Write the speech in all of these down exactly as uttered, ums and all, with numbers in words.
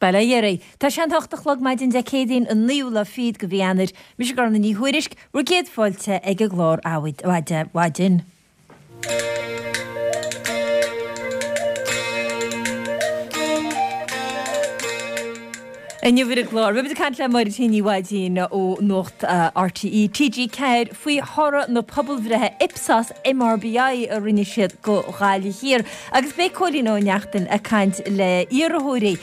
Bail ó Dhia oraibh. Tá sé an hocht a chlog maidin Dé Céadaoin an naoú lá fichead de mhí Eanáir. Mise Gormfhlaith Ní Thuairisg, bhur gcéad fáilte ag an gclár Adhmhaidin. Inniu ar an gclár, beimid ag caint le Máire T. Ní Mhaidín ó Nuacht RTÉ, TG Ceathair faoi thoradh na pobalbhreithe Ipsos MRBI a rinne siad go Ghaillimh Thiar agus beidh Cóilín Ó Neachtain ag caint le iarrthóirí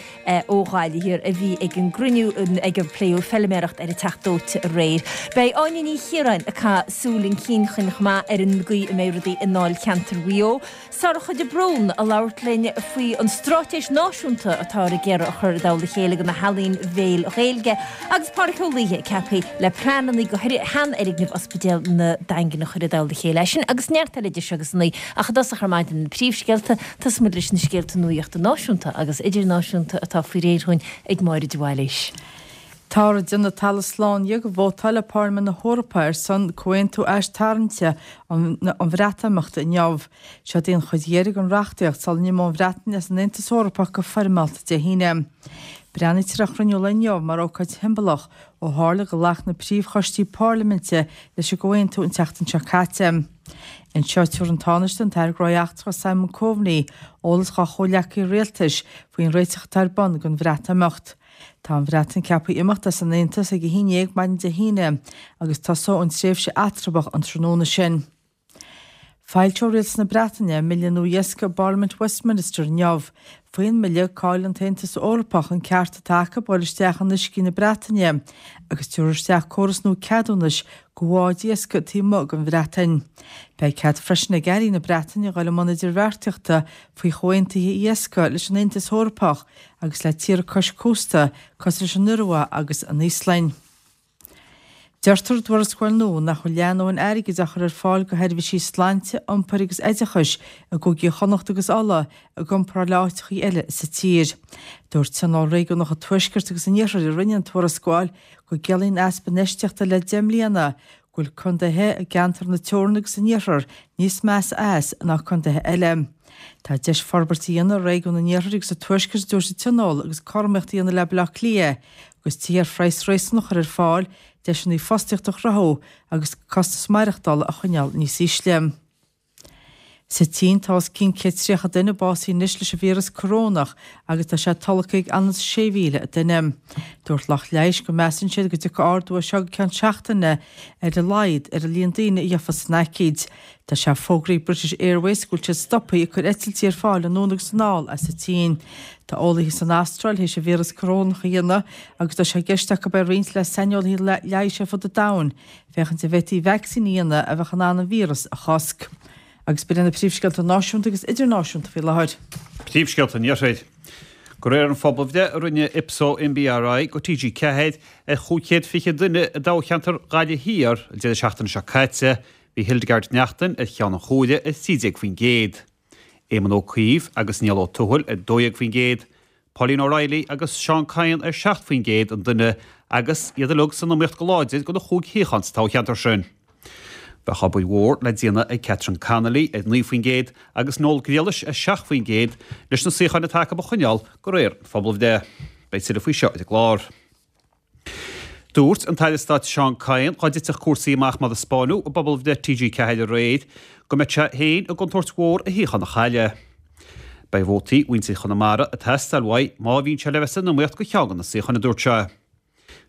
ó Ghaillimh Thiar a bhí ag an gcruinniú ag ar pléadh feiliméaracht ar an Teach Dóite aréir. Beidh Áine Ní Chiaráin ag caitheamh súil chun cinn chomh maith ar an gcaoi a mbeidh rudaí i ndáilcheantar Mhaigh Eo. Sorcha de Brún ag labhairt linn faoi an straitéis náisiúnta atáthar ag iarraidh a chur i dtoll a chéile do na healaín bhéil Ghaeilge agus Pádraic Ó Laoithe ceaptha le pleananna do sheanfhoirgneamh Ospidéal na Daingine a chur i dtoll a chéile. É sin agus neart eile idir seo agus a naoi ach i dtosach ar maidin na príomhscéalta, tosóidh muid leis na scéalta nuachta náisiúnta agus idirnáisiúnta atá faoi réir dhúinn ag Máire de Bhailís. Táthar ag déanamh talamh slán dhe go vótálfaidh Pairlimint na hEorpa ar son comhaontú aistarraingte an Bhreatimeachta inniu. Seod í an chuid dheiridh den reachtaíocht sula n-imeoidh an Bhreatain as an Aontas Eorpach go foirmeálta Dé hAoine. Breathnaítear ar chruinniú lae inniu mar ócáid shiombalach ó tharla gur ghlac na príomhchoistí parlaiminte leis an gcomhaontú an tseachtain seo caite. Anseo tabharfaidh an Tánaiste, an tAire Gnóthaí Eachtracha Simon Coveney eolas dá chomhghleacaithe rialtais faoin réiteach atá ar bun don Bhreatimeacht. Tá an Bhreatain ceaptha imeacht as an Aontas ag a haon déag maidin Dé hAoine agus tosóidh an tréimhse eatramhach an tráthnóna sin. Foilseoidh Rialtas na Breataine a mbille nua iascaigh i bParlaimint Westminster inniu. Faoin mbille, caillfidh an tAontas Eorpach an ceart atá acu dul isteach in uiscí na Breataine agus tabharfar isteach córas nua ceadúnais do bháid iascaigh taobh amuigh den Bhreatain. Beidh cead freisin ag airí na Breataine dul i mbun idirbheartaíochta faoi chomhaontuithe iascaigh leis an Aontas Eorpach agus le tíortha cois cósta cosúil leis an Iorua agus an Íoslainn. Deirtear i dtuarascáil nua nach bhfuil leathdhóthain airgid á chur ar fáil do sheirbhísí sláinte, iompair agus oideachais i gcúigí Chonnacht agus Uladh i gcomparáid le áiteachaí eile sa tír. Dúirt Tionól Réigiúnach an Tuaiscirt agus an Iarthair a rinne an tuarascáil go gciallaíonn easpa infheistíochta le deich mbliana go bhfuil contaetha i gceantar na Teorann agus an Iarthair níos measa as ná contaetha eile. Tá deis forbairt a dhéanamh ar réigiún an Iarthair agus an Tuaiscirt, a dúirt an Tionól, agus cothromaíocht a dhéanamh le Baile Átha Cliath agus tithe ar phraghas réasúnach a chur ar fáil, deiseanna fostaíochta a chruthú agus costas maireachtála a choinneáil níos ísle. Sa tSín tá os cionn céad tríocha duine básaithe anois leis an víreas corónach agus tá sé tolgtha ag anuas sé mhíle duine. Dúirt lucht leighis go measann siad go dtiocfaidh ardú as seo go ceann seachtaine ar a laghad ar an líon daoine a gheofas an aicíd. Tá sé fógraithe ag British Airways go bhfuil siad stoptha ag cur eitiltí ar fáil anonn agus anall as an tSín. Tá eolaithe san Astráil théis an víreas corónach a dhéanamh agus tá sé i gceist acu é a roinnt le saineolaithe leighis ar fud an domhain féachaint an bhféadfaí vacsaín a dhéanamh a bheadh in ann an víreas a chosc. Agus b'in iad na príomhscéalta náisiúnta agus idirnáisiúnta faoi láthair. Príomhscéalta an Iarthair. De réir an phobalbhreith a rinne Ipso MBRI go T G ceathair ar chúig chéad fiche duine i dtoghcheantar Ghaillimh Thiar an deireadh seachtaine seo caite, bhí Hildegarde Naughton ar cheann an chomhairimh ar trí déag faoin gcéad, Éamon Ó Cuív agus Niall Ó Tuathail ar dó dhéag faoin gcéad, Pauline O'Reilly agus Seán Kyne ar seacht faoin gcéad an duine agus iad uilig san iomaíocht go láidir do na chúig shuíochán sa toghcheantar sin. Bheadh obair mhór le déanamh ag Catherine Connolly ar naoi faoin gcéad agus Noel Grealish ar seacht faoin gcéad leis na suíocháin atá acu a choinneáil de réir an phobalbhreith. Beidh tuilleadh faoi seo ar an gclár. Dúirt an tAire Stáit Seán Kyne dhá dtitfeadh cúrsaí amach mar a 'spáineadh i bpobalbhreith T G ceathair aréir go mbeadh sé féin i gcontúirt mhór a shuíochán a chailleadh. Beidh vótaí mhuintir Chonamara ag teastáil uaidh má bhíonn sé le bheith san iomaíocht do cheann de na suíocháin, a dúirt sé.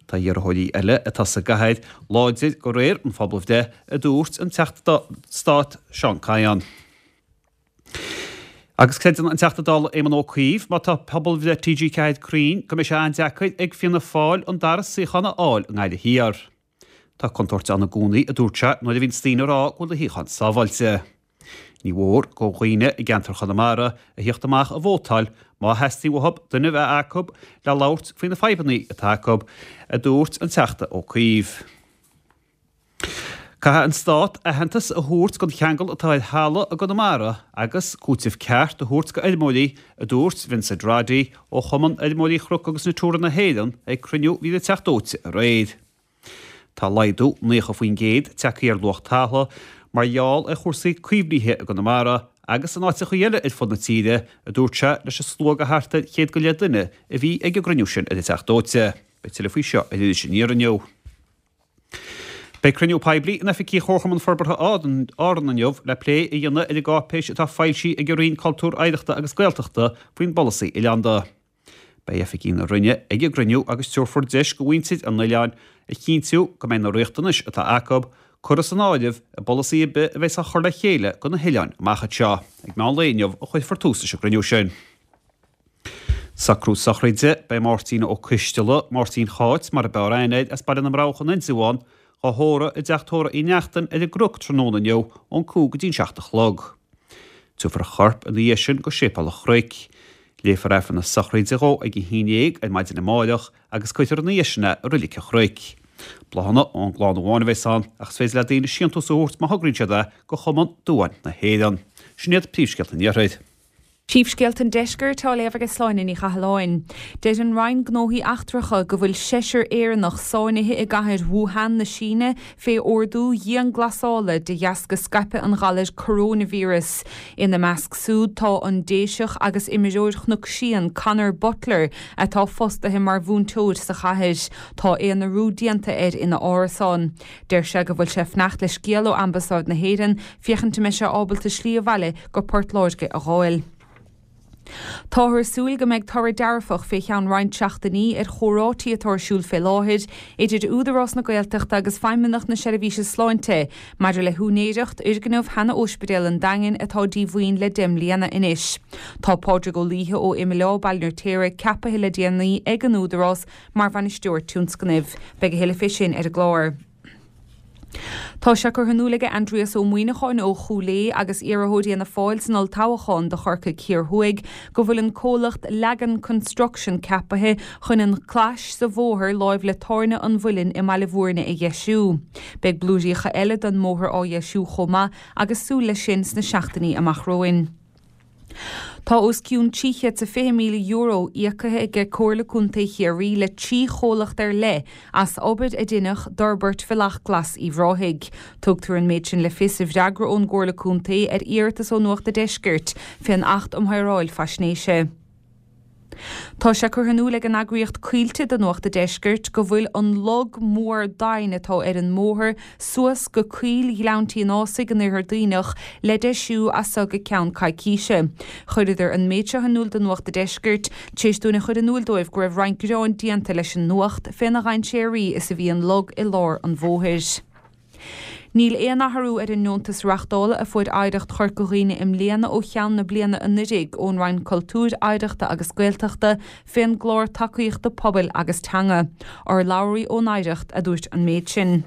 Tá iarrthóirí eile atá sa gcathair láidir de réir an phobalbhreith, a dúirt an Teachta Stáit Seán Kyne. Agus creideann an Teachta Dála Éamon Ó Cuív, má tá pobalbhreith T G ceathair cruinn, go mbeidh sé an-deacair ag Fianna Fáil an dara suíochán a fháil i nGaillimh Thiar. Tá contúirt ann i gcónaí, a dúirt sé, nuair a bhíonns daoine ag rá go bhfuil a shuíochán sábháilte. Ní mhór do dhaoine i gceantar Chonamara a thíocht amach a vótáil má theastaíonn uathu duine a bheith acu le labhairt faoi na fadhbanna atá acu, a dúirt an Teachta Ó Cuív. Caithfidh an Stát aitheantas a thabhairt don cheangal atá ar thalamh i gConamara agus cúiteamh ceart a thabhairt do fheirmeoirí, a dúirt Vincent Roddy ó Chumann Fheirmeoirí Chnoc agus Natura na hÉireann ag cruinniú a bhí ag Teach Dóite aréir. Tá laghdú naocha faoin gcéad tagtha ar luach talamh mar gheall ar chúrsaí caomhnaithe i gConamara agus in áiteacha eile ar fud na tíre, a dúirt sé leis an slua de thart ar chéad go leith duine a bhí ag an gcruinniú sin ar an Teach Dóite. Beidh tuilleadh faoi seo ar Iris Aniar inniu. Beidh cruinniú poiblí in oifigí Chomharchumann Forbartha Árann inniu le plé a dhéanamh ar an gcáipéis atá foilsithe ag an Roinn Cultúir, Oidhreachta agus Gaeltachta faoin bpolasaí oileánda. Beidh oifigigh na Roinne ag an gcruinniú agus tabharfar deis do mhuintir an oileáin a chinntiú go mbeidh na riachtanais atá acu curtha san áireamh i bpolasaí ar bith a bheas á chur le chéile do na hoileáin amach anseo. Ag meán lae inniu a chuirfear tús leis an gcruinniú sin. Socrú sochraide, Beidh Máirtín Ó Coisteala, Máirtín Cháit mar a b'fhearr aithne air, as Baile na mBroghach in Indreabhán, á thórramh i dteach tórraimh Uí Neachtain ar an gCnoc tráthnóna inniu ón cúig go dtí'n seacht a chlog. Tabharfar a chorp ina dhiaidh sin go Séipéal an Chnoic. Léifear Aifreann na sochraide dhó ag a haon dhéag ar maidin amáireach agus cuirfear ina dhiaidh sin é i Reilig an Chnoic. Bláthanna ón gclann amháin a bheas ann ach is féidir le daoine síntiús a thabhairt má thograíonn siad é go Chumann Duáin na hÉireann. Sin iad príomhscéalta an Iarthair. Príomhscéalta an Deiscirt á léamh ag Sláine Ní Chathalláin. Deir an Roinn Gnóthaí Eachtracha go bhfuil seisear Éireannach sáinnithe i gcathair Wuhan na Síne fé ordú dianghlasála de dheasca scaipeadh an ghalair coronavirus. Ina measc súd tá an Déiseach agus imreoir Chnoc Síon Conor Butler atá fostaithe mar mhúinteoir sa chathair. Tá aonarú déanta air ina árasán. Deir sé go bhfuil sé ag fanacht le scéal ó Ambasáid na hÉireann féachaint an mbeidh sé ábalta slí abhaile go Port Láirge a dh'fháil. Táthar ag súil go mbeidh toradh dearfach fé cheann roinnt seachtainí ar chomhráití atá ar siúl fé láthair idir Údarás na Gaeltachta agus Feidhmeannacht na Seirbhíse Sláinte maidir le húinéireacht fhoirgneamh sheana-Ospidéal an Daingin atá díomhaoin le deich mbliana anois. Tá Pádraig Ó Laoithe ó Imill Baile an Fheirtéaraigh ceapaithe le déanaí ag an Údarás mar bhainisteoir tionscnaimh. Beidh a thuilleadh fé sin ar an gclár. Tá sé curtha in iúl ag Aindrias Ó Muimhneacháin ó Chúil Aodha agus iarrthóir Fhianna Fáil san olltoghchán do Chorcaigh Thiar Thuaidh go bhfuil an comhlacht Lagan Construction ceapaithe chun an clais sa bhóthar láimh le Tábhairne an Mhuilinn i mBaile Bhúirne a dheisiú. Beidh blúiríocha eile den mbóthar á dheisiú chomh maith agus súil leis sin sna seachtainí amach romhainn. Tá os cionn trí chéad is a fiche míle euro íocaithe aige Comhairle Contae Chiarraí le trí chomhlacht ar leith as obair a deineadh d'fhorbairt Bhealach Glas Uíbh Ráthaigh. Tugtar an méid sin le fios i bhfreagra ón gComhairle Contae ar iarratas ó Nuacht a' Deiscirt fén Acht um Shaoráil Faisnéise. Tá sé curtha in iúl ag an eagraíocht Coillte do Nuacht a' Deiscirt go bhfuil an log mór doimhin atá ar an mbóthar suas go Coill Ghleann Tí an Ásaigh in Iarthar Duibhneach le deisiú as seo go ceann coicíse. Chuireadar an méid seo in iúl do Nuacht a' Deiscirt tar éis dúinn a chur in iúl dóibh go raibh roinnt gearáin déanta leis an Nuacht féna dhainséaraí is a bhí an log i lár an bhóthair. Níl aon athrú ar an ndeontas reachtála a fuair Oidhreacht Chorca Dhuibhne i mbliana ó cheann na bliana anuraidh ón Roinn Cultúir, Oidhreachta agus Gaeltachta fén gclár tacaíochta pobail agus teanga. Urlabhraí ón Oidhreacht a dúirt an méid sin.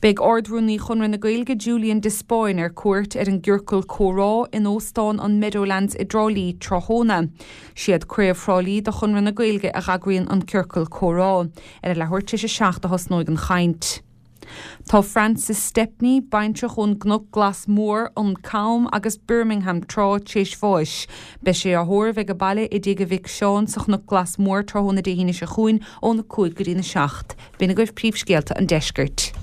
Beidh Ard-Rúnaí Chonradh na Gaeilge Julian de Spáinn ar cuairt ar an gCiorcal Comhrá in Óstán an Meadowlands i dTrá Lí tráthnóna. Siad Craobh Thrá Lí de Chonradh na Gaeilge a dh'eagraíonn an Ciorcal Comhrá. Ar a leathuair tar éis a seacht a thosnóidh an chaint. Tá Francis Stepney, baintreach ón gCnoc Glas Mór, an Cam agus Birmingham tráth tar éis bháis. Beidh sé á thórramh ag baile i dtigh a mhic Seán sa Chnoc Glas Mór tráthnóna Dé hAoine seo chugainn óna cúig go dtína seacht. B'in agaibh príomhscéalta an deiscirt.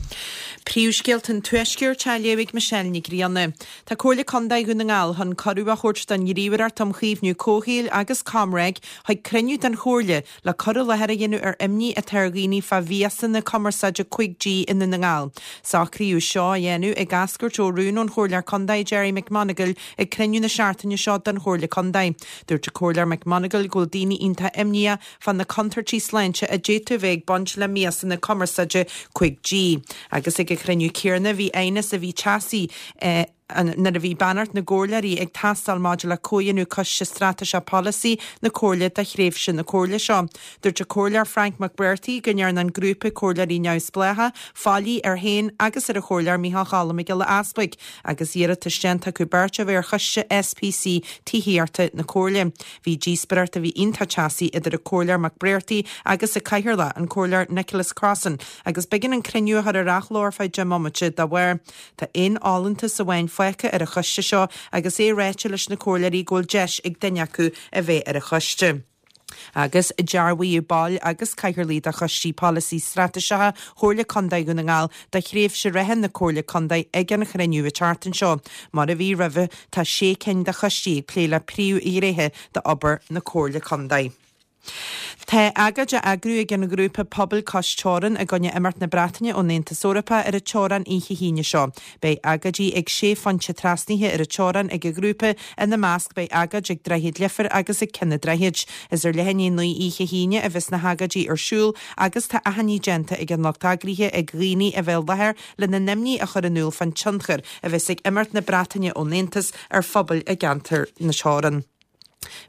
Príomhscéalta an Tuaiscirt á léamh ag Michelle Nic Grianna. Tá Comhairle Contae Dhún na nGall chun cuireadh a thabhairt don Ghníomhaireacht um Chaomhnú Comhshaoil agus ComReg chuig cruinniú den Chomhairle le cur i láthair a dhéanamh ar imní atá ar dhaoine fá mhiasanna cumarsáide cúig G i nDún na nGall. Socraíodh seo a dhéanamh ag eascairt ó rún ón Chomhairleoir Contae Gerry McMonagall ag cruinniú na seachtaine seo den Chomhairle Contae. Dúirt an Comhairleoir McMonagall go bhfuil daoine iontach imníoch fá na contúirtí sláinte a d'fhéadfadh a bheith ag baint le miasanna cumarsáide cúig G. Agus ag an chruinniú céanna bhí aighneas a bhí teasaí nuair a bhí beannacht na gcomhairleoirí ag teastáil maidir le comhdhéanamh Coiste Straitéiseach Polasaí na Comhairle do thréimhse na Comhairle seo. Dúirt an Comhairleoir Frank McBrearty go ndearna an grúpa comhairleoirí neamhspleácha faillí air féin agus ar an Chomhairleoir Micheál Choilm Mac Giolla Easpaig agus iarratas déanta acu beirt a bheith ar Choiste SPC Tithíochta na Comhairle. Bhí díospóireacht a bhí iontach teasaí idir an Comhairleoir McBrearty agus an Cathaoirleach, an Comhairleoir Nicholas Crossan, agus b'éigean an cruinniú a chur ar athló ar feadh deich mbomaite dá bharr. Tá aon fholúntas amháin fágtha ar an choiste seo agus é ráite leis na comhairleoirí go bhfuil deis ag duine acu a bheith ar an choiste. Agus dearbhaíodh baill agus cathaoirligh de choistí polasaí straitéiseacha Chomhairle Contae Dhún na nGall do thréimhse reatha na Comhairle Contae ag an chruinniú an tseachtain seo. Mar a bhí roimhe, tá sé cinn de choistí ag plé le príomhghnéithe d'obair na Comhairle Contae. Tá agóid á eagrú ag an ghrúpa Pobail Cois Teorann i gcoinne imeacht na Breataine ón Aontas Eorpach ar an teorainn oíche hAoine seo. Beidh agóidí ag sé phointe trasnaithe ar an teorainn ag an ghrúpa, ina measc beidh agóid ag Droichead Leifir agus ag Cionn an Droichid. Is ar leath i ndiaidh a naoi oíche hAoine a bheas na hagóidí ar siúl agus tá achainí déanta ag an lucht eagraithe ag dhaoine a bheith i láthair lena n-imní a chur in iúl fán tionchar a bheas ag imeacht na Breataine ón Aontas ar phobail i gceantar na teorann.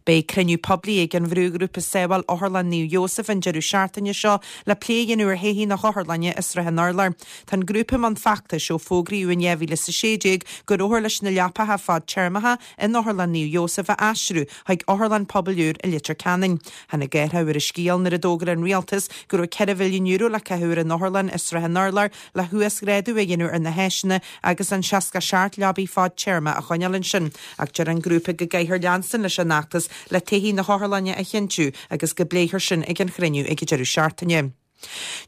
Beidh cruinniú poiblí ag an bhrúghrúpa Sábháil Otharlann Naomh Iósaf an deireadh seachtaine seo le plé a dhéanamh ar thodhchaí na hotharlainne i Srath an Urláir. Tá an grúpa i mbun feachtais ó fógraíodh in dhá mhíle is a sé déag go rabhthar leis na leapacha fadtéarmacha in Otharlann Naomh Iósaf a aistriú chuig otharlann pobail úr i Leitir Ceanainn. Tháinig athrú ar an scéal nuair a d'fhógair an rialtas go raibh ceithre mhilliún euro le caitheamh ar an otharlann i Srath an Urláir le huasghrádú a dhéanamh ar na háiseanna agus an seasca seacht leabaidh fadtéarma a choinneáil ansin. Ach deir an grúpa go gcaithfear leanstan leis an fheachtas le todhchaí na hotharlainne a chinntiú agus go bpléifear sin ag an chruinniú ag an deireadh seachtaine.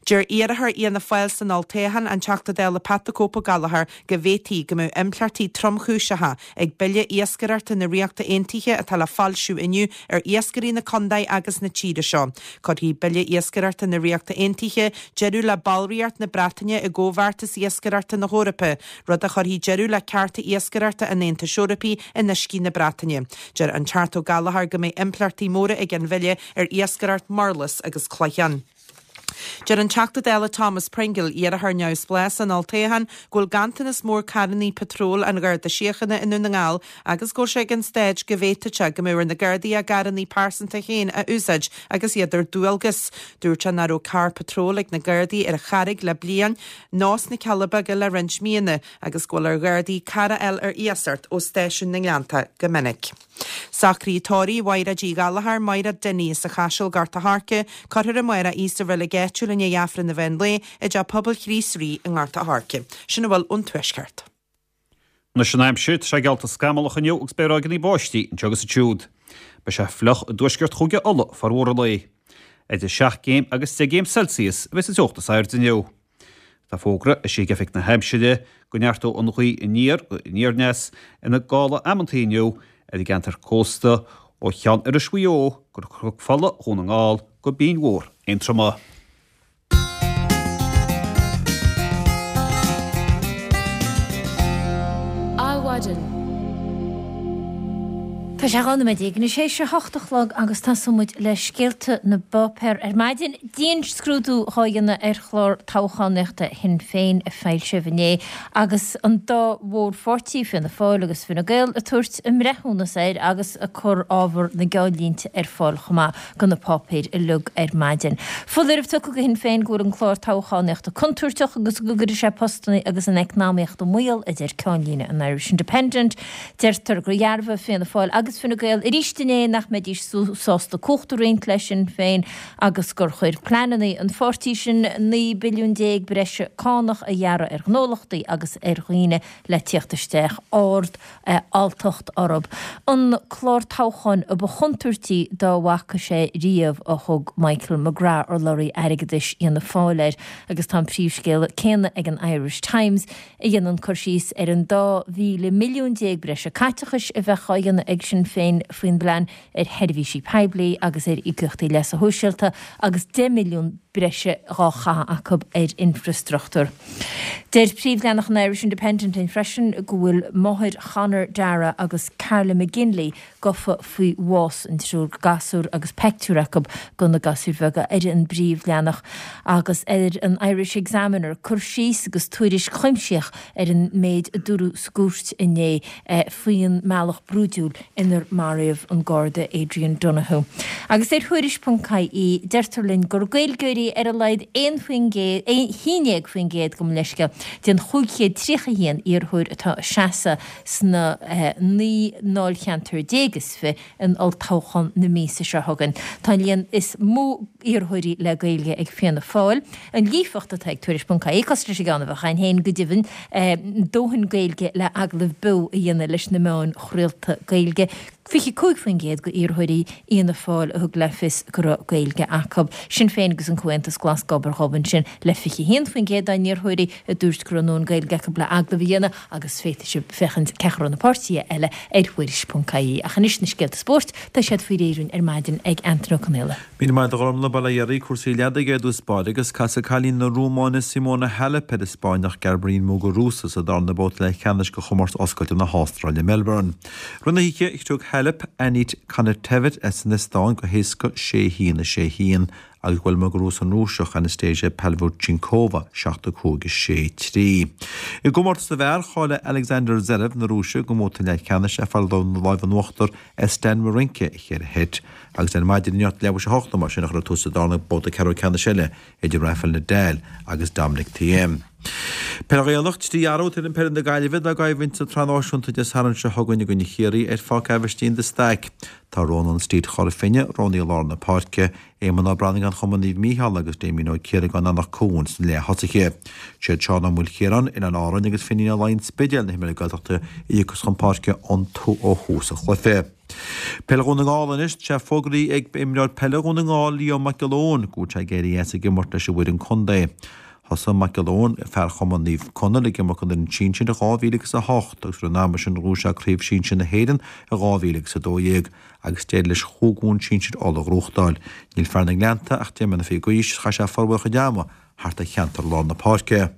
Deir iarrthóir Fhianna Fáil san olltoghchán, an Teachta Dála Pat the Cope Ó Gallchóir, go bhféadfaí go mbeadh impleachtaí tromchúiseacha ag Bille Iascaireachta na Ríochta Aontaithe atá le foilsiú inniu ar iascairí na contae agus na tíre seo. Cuirfidh Bille Iascaireachta na Ríochta Aontaithe deireadh le ballraíocht na Breataine i gComhbheartas Iascaireachta na hEorpa, rud a chuirfidh deireadh le cearta iascaireachta an Aontais Eorpaigh in uiscí na Breataine. Deir an Teachta Ó Gallchóir go mbeidh impleachtaí móra ag an bhille ar iascaireacht murlas agus cloicheán. Deir an Teachta Dála Thomas Pringle, iarrthóir neamhspleách san olltoghchán, go bhfuil ganntanas mór carrannaí patróil an Gharda Síochána i nDún na nGall agus go bhfuil sé ag an staid go bhféadfadh sé go mbeadh ar na Gardaí a gcarrannaí pearsanta féin a úsáid agus iad ar dualgas. Dúirt sé nach raibh carr patróil ag na Gardaí ar an Charraig le bliain ná sna Cealla Beaga le roinnt míonna agus go bhfuil ar Ghardaí carr a fháil ar iasacht ó stáisiún na nGleannta go minic. Socruithe tórraimh Mhaighréid Uí Ghallchóir, Maighréad Dinny as an Chaiseal, Gort a' Choirce, Cuirfear amárach í sa reilig áitiúil i ndiaidh Aifreann an mheán lae i dTeach Pobail Chríost Rí i nGort a' Choirce. Sin a bhfuil ón Tuaisceart. Anois an aimsir, tá sé geallta scamallach inniu agus beidh ráigeanna báistí anseo agus ansiúd. Beidh sé fliuch i dtuaisceart Chúige Uladh formhór an lae. Idir seacht gcéim agus deich gcéim Celsius a bheidh sa teocht is airde inniu. Tá fógra eisithe ag Oifig na hAimsire go neartóidh an ghaoth aniar go aniar-aneas ina gála amantaí inniu ar an gceantar cósta ó Cheann Iorrais Mhaigh Eo go Cnoc Fola Dhún na nGall go Binn Mhór Aontroma. Adhmhaidin. Tá sé dhá nóiméad déag anois théis a hocht a chlog agus tosóidh muid le scéalta na bpáipéar ar maidin. Dianscrúdú dhá dhéanamh ar chlár toghchánaíochta Shinn Féin a foilsíodh inné agus an dá mhórpháirtí, Fianna Fáil agus Fine Gael, ag tabhairt a mbreithiúnas air agus ag cur ábhar na gceannlínte ar fáil chomh maith do na páipéir uilig ar maidin. Foláireamh tugtha do Shinn Féin go bhfuil an clár toghchánaíochta contúirteach agus go gcuirfidh sé postanna agus an eacnamaíocht i mbaol, a deir ceannlíne an Irish Independent. Deirtear gur dhearbhaigh Fianna Fáil agus Fine Gael arís inné nach mbeidís sásta cumhacht a roinnt le Sinn Féin agus gur chuir pleananna an pháirtí sin naoi billiún déag breise cánach a ghearradh ar ghnólachtaí agus ar dhaoine le tíocht isteach ard alltacht orthu. An clár toghcháin a ba chontúirtí dá bhfaca sé riamh a thug Michael McGrath, urlabhraí airgeadais Fhianna Fáil air agus tá an príomhscéal céanna ag an Irish Times a dhéanann cur síos ar an dá mhíle milliún déag breise caiteachais a bheadh á dhéanamh ag Sinn Féin faoin bplean ar sheirbhísí poiblí agus ar íocaíochtaí leasa shóisialta agus deich mbilliún breise dhá chaitheamh acu ar infreastruchtúr. Deir príomhleathanach an Irish Independent linn freisin go bhfuil máthair Chonor Darragh agus Carla McGinley gafa faoi bhás an triúr gasúr agus peictiúr acu de na gasúir bheaga ar an bpríomhleathanach agus ar an Irish Examiner cur síos agus tuairisc chuimsitheach ar an méid a dúradh sa gcúirt inné faoin mbealach brúidiúil inar maraíodh an Garda Adrian Donohoe. Agus ar Thuairisc ponc ie deirtear linn gur Gaeilgeoirí ar a laghad aon faoin gcéad, haon déag faoin gcéad gabh mo leithscéal, den chúig chéad tríocha a haon iarrthóir atá ag seasamh sna naoi ndáilcheantar déag is fiche in olltoghchán na míosa seo chugainn. Tá an líon is mó iarrthóirí le Gaeilge ag Fianna Fáil. An líofacht atá ag Tuairisc ponc ie, cosúil leis an gceann a bheadh againn féin go deimhin, dóthain Gaeilge le agallamh beo a dhéanamh leis na meáin chraolta Gaeilge. fiche cúig faoin gcéad de iarrthóirí Fhianna Fáil a thug le fios go raibh Gaeilge acu. Sinn Féin agus an Comhaontas Glas gob ar ghob ansin le fiche haon faoin gcéad dá n-iarrthóirí a dúirt go raibh a ndóthain Gaeilge acu le agallamh a dhéanamh agus féadfaidh sibh féachaint cé a raibh na páirtithe eile ar Thuairisc ponc ie. Ach anois na scéalta spóirt, tá siad faoi réir ar maidin ag Antaine Ó Conaola. Míle maith agat a Ghormfhlaith, bail ó Dhia oraibh, cúrsaí leadaigh ar dtús báire agus casfaidh cailín na Rómáine Simona Halep ar an Spáinneach Garbiñe Muguruza sa darna babhta leathcheannais de chomórtas oscailte na hAstráile Melbourne. Rith na hoíche, thug Halep Anett Kontaveit as an Eastóin go héasca sé a haon, a sé a haon agus bhuail Muguruza an Rúiseach Anastasia Pavlyuchenkova seacht a cúig, a sé trí. I gcomórtas na bhfear, cháiligh Alexander Zverev na Rúise don mbabhta leathcheannais ach fuair an lámh in uachtar ar Stan Wawrinka i cheithre sheit agus ar maidin inniu leathuair tar éis a hocht mar sin a chuirfear tús sa darna babhta ceathrú ceannais eile idir Rafael Nadal agus Dominic Thiem. Peil Ghaelach, trí athrú ar fhoireann peile na Gaillimhe dá gcoimhlint sa tSraith Náisiúnta Dé Sathairn seo chugainn i gcoinne Chiarraí ar Pháirc Aibhistín de Staic. Tá Rónán Steed Chora Finne roghnaithe i lár na páirce, Éamonn Ó Brannagáin Chumann Naomh Mícheál agus Damien Ó Ciaragáin Anach Cuain sna leath-thosaithe. Siad Seán Ó Maoilchiaráin, Oileáin Árainn agus Finín Ó Laighin Spidéal na himreoirí Gaeltachta a thiocfas chun páirce ó thús an chluiche. Peil Dhún na nGall anois, tá sé fógraithe ag imreoir peile Dhún na nGall, Leo Mac Giolla Eoin, go bhfuil sé ag éirí as ag imirt leis an bhfoireann contae. Thosaigh Mac Giolla Eoin, fear Chumann Naomh Conaill, ag imirt don fhoireann sinsir i dhá mhíle agus a hocht agus roimh an ama sin ghnóthaigh sé Craobh Sinsir na hÉireann i dhá mhíle agus a dó dhéag agus d'éirigh leis chúig bhonn sinsir Uladh a ghnóthachtáil. Níl fear na nGleannta ach deich mbliana fichead d'aois, chaith sé formhór a chuid ama thart ar cheantar lár na páirce.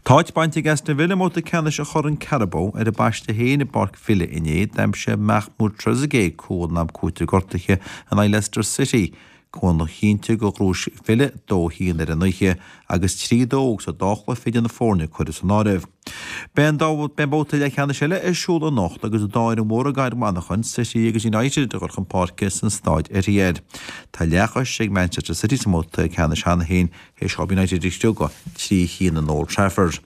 Tá áit bainte ag Aston Villa i mbabhta ceannais an Choirn Carabao ar a bpaiste féin i bPáirc Villa inné. D'aimsigh Mahmoud Trezeguet cúl in am cúitimh gortaithe in aghaidh Leicester City. Cúl a chinntigh gur ghnóthaigh Villa dó haon ar an oíche agus trí dó sa dá chluiche idir na foirne curtha san áireamh. Beidh an babhta leathcheannais eile ar siúl anocht agus an dá fhoireann mhór i gcathair Mhanchain, City agus United, ag dul chun páirce san staid Etihad. Tá leathchois ag Manchester City sa mbabhta ceannais cheana féin théis dóibh United a chriogadh trí haon in Old Trafford.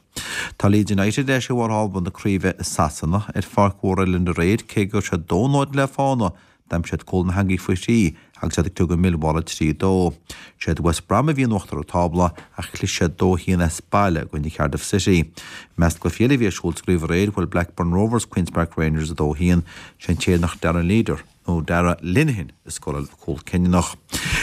Tá Leeds United ar ais ar bharr thábla na craoibhe i Sasana ar pháirc mhór Elland aréir cé go raibh siad dó náid le fána D'aimsigh siad cúl na heangaí faoi thrí agus iad ag criogadh Millwall a trí dó. Siad West Brom a bhí in uachtar an tábla ach chlis siad dó haon as baile i gcoinne Cardiff City. I measc cluichí eile a bhí ar siúl sa gcraobh aréir bhuail Blackburn Rovers Queens Park Rangers a dó haon. Sé an tÉireannach Darren Leader nó Darragh Lenihan a scóráil an cúl cinniúnach.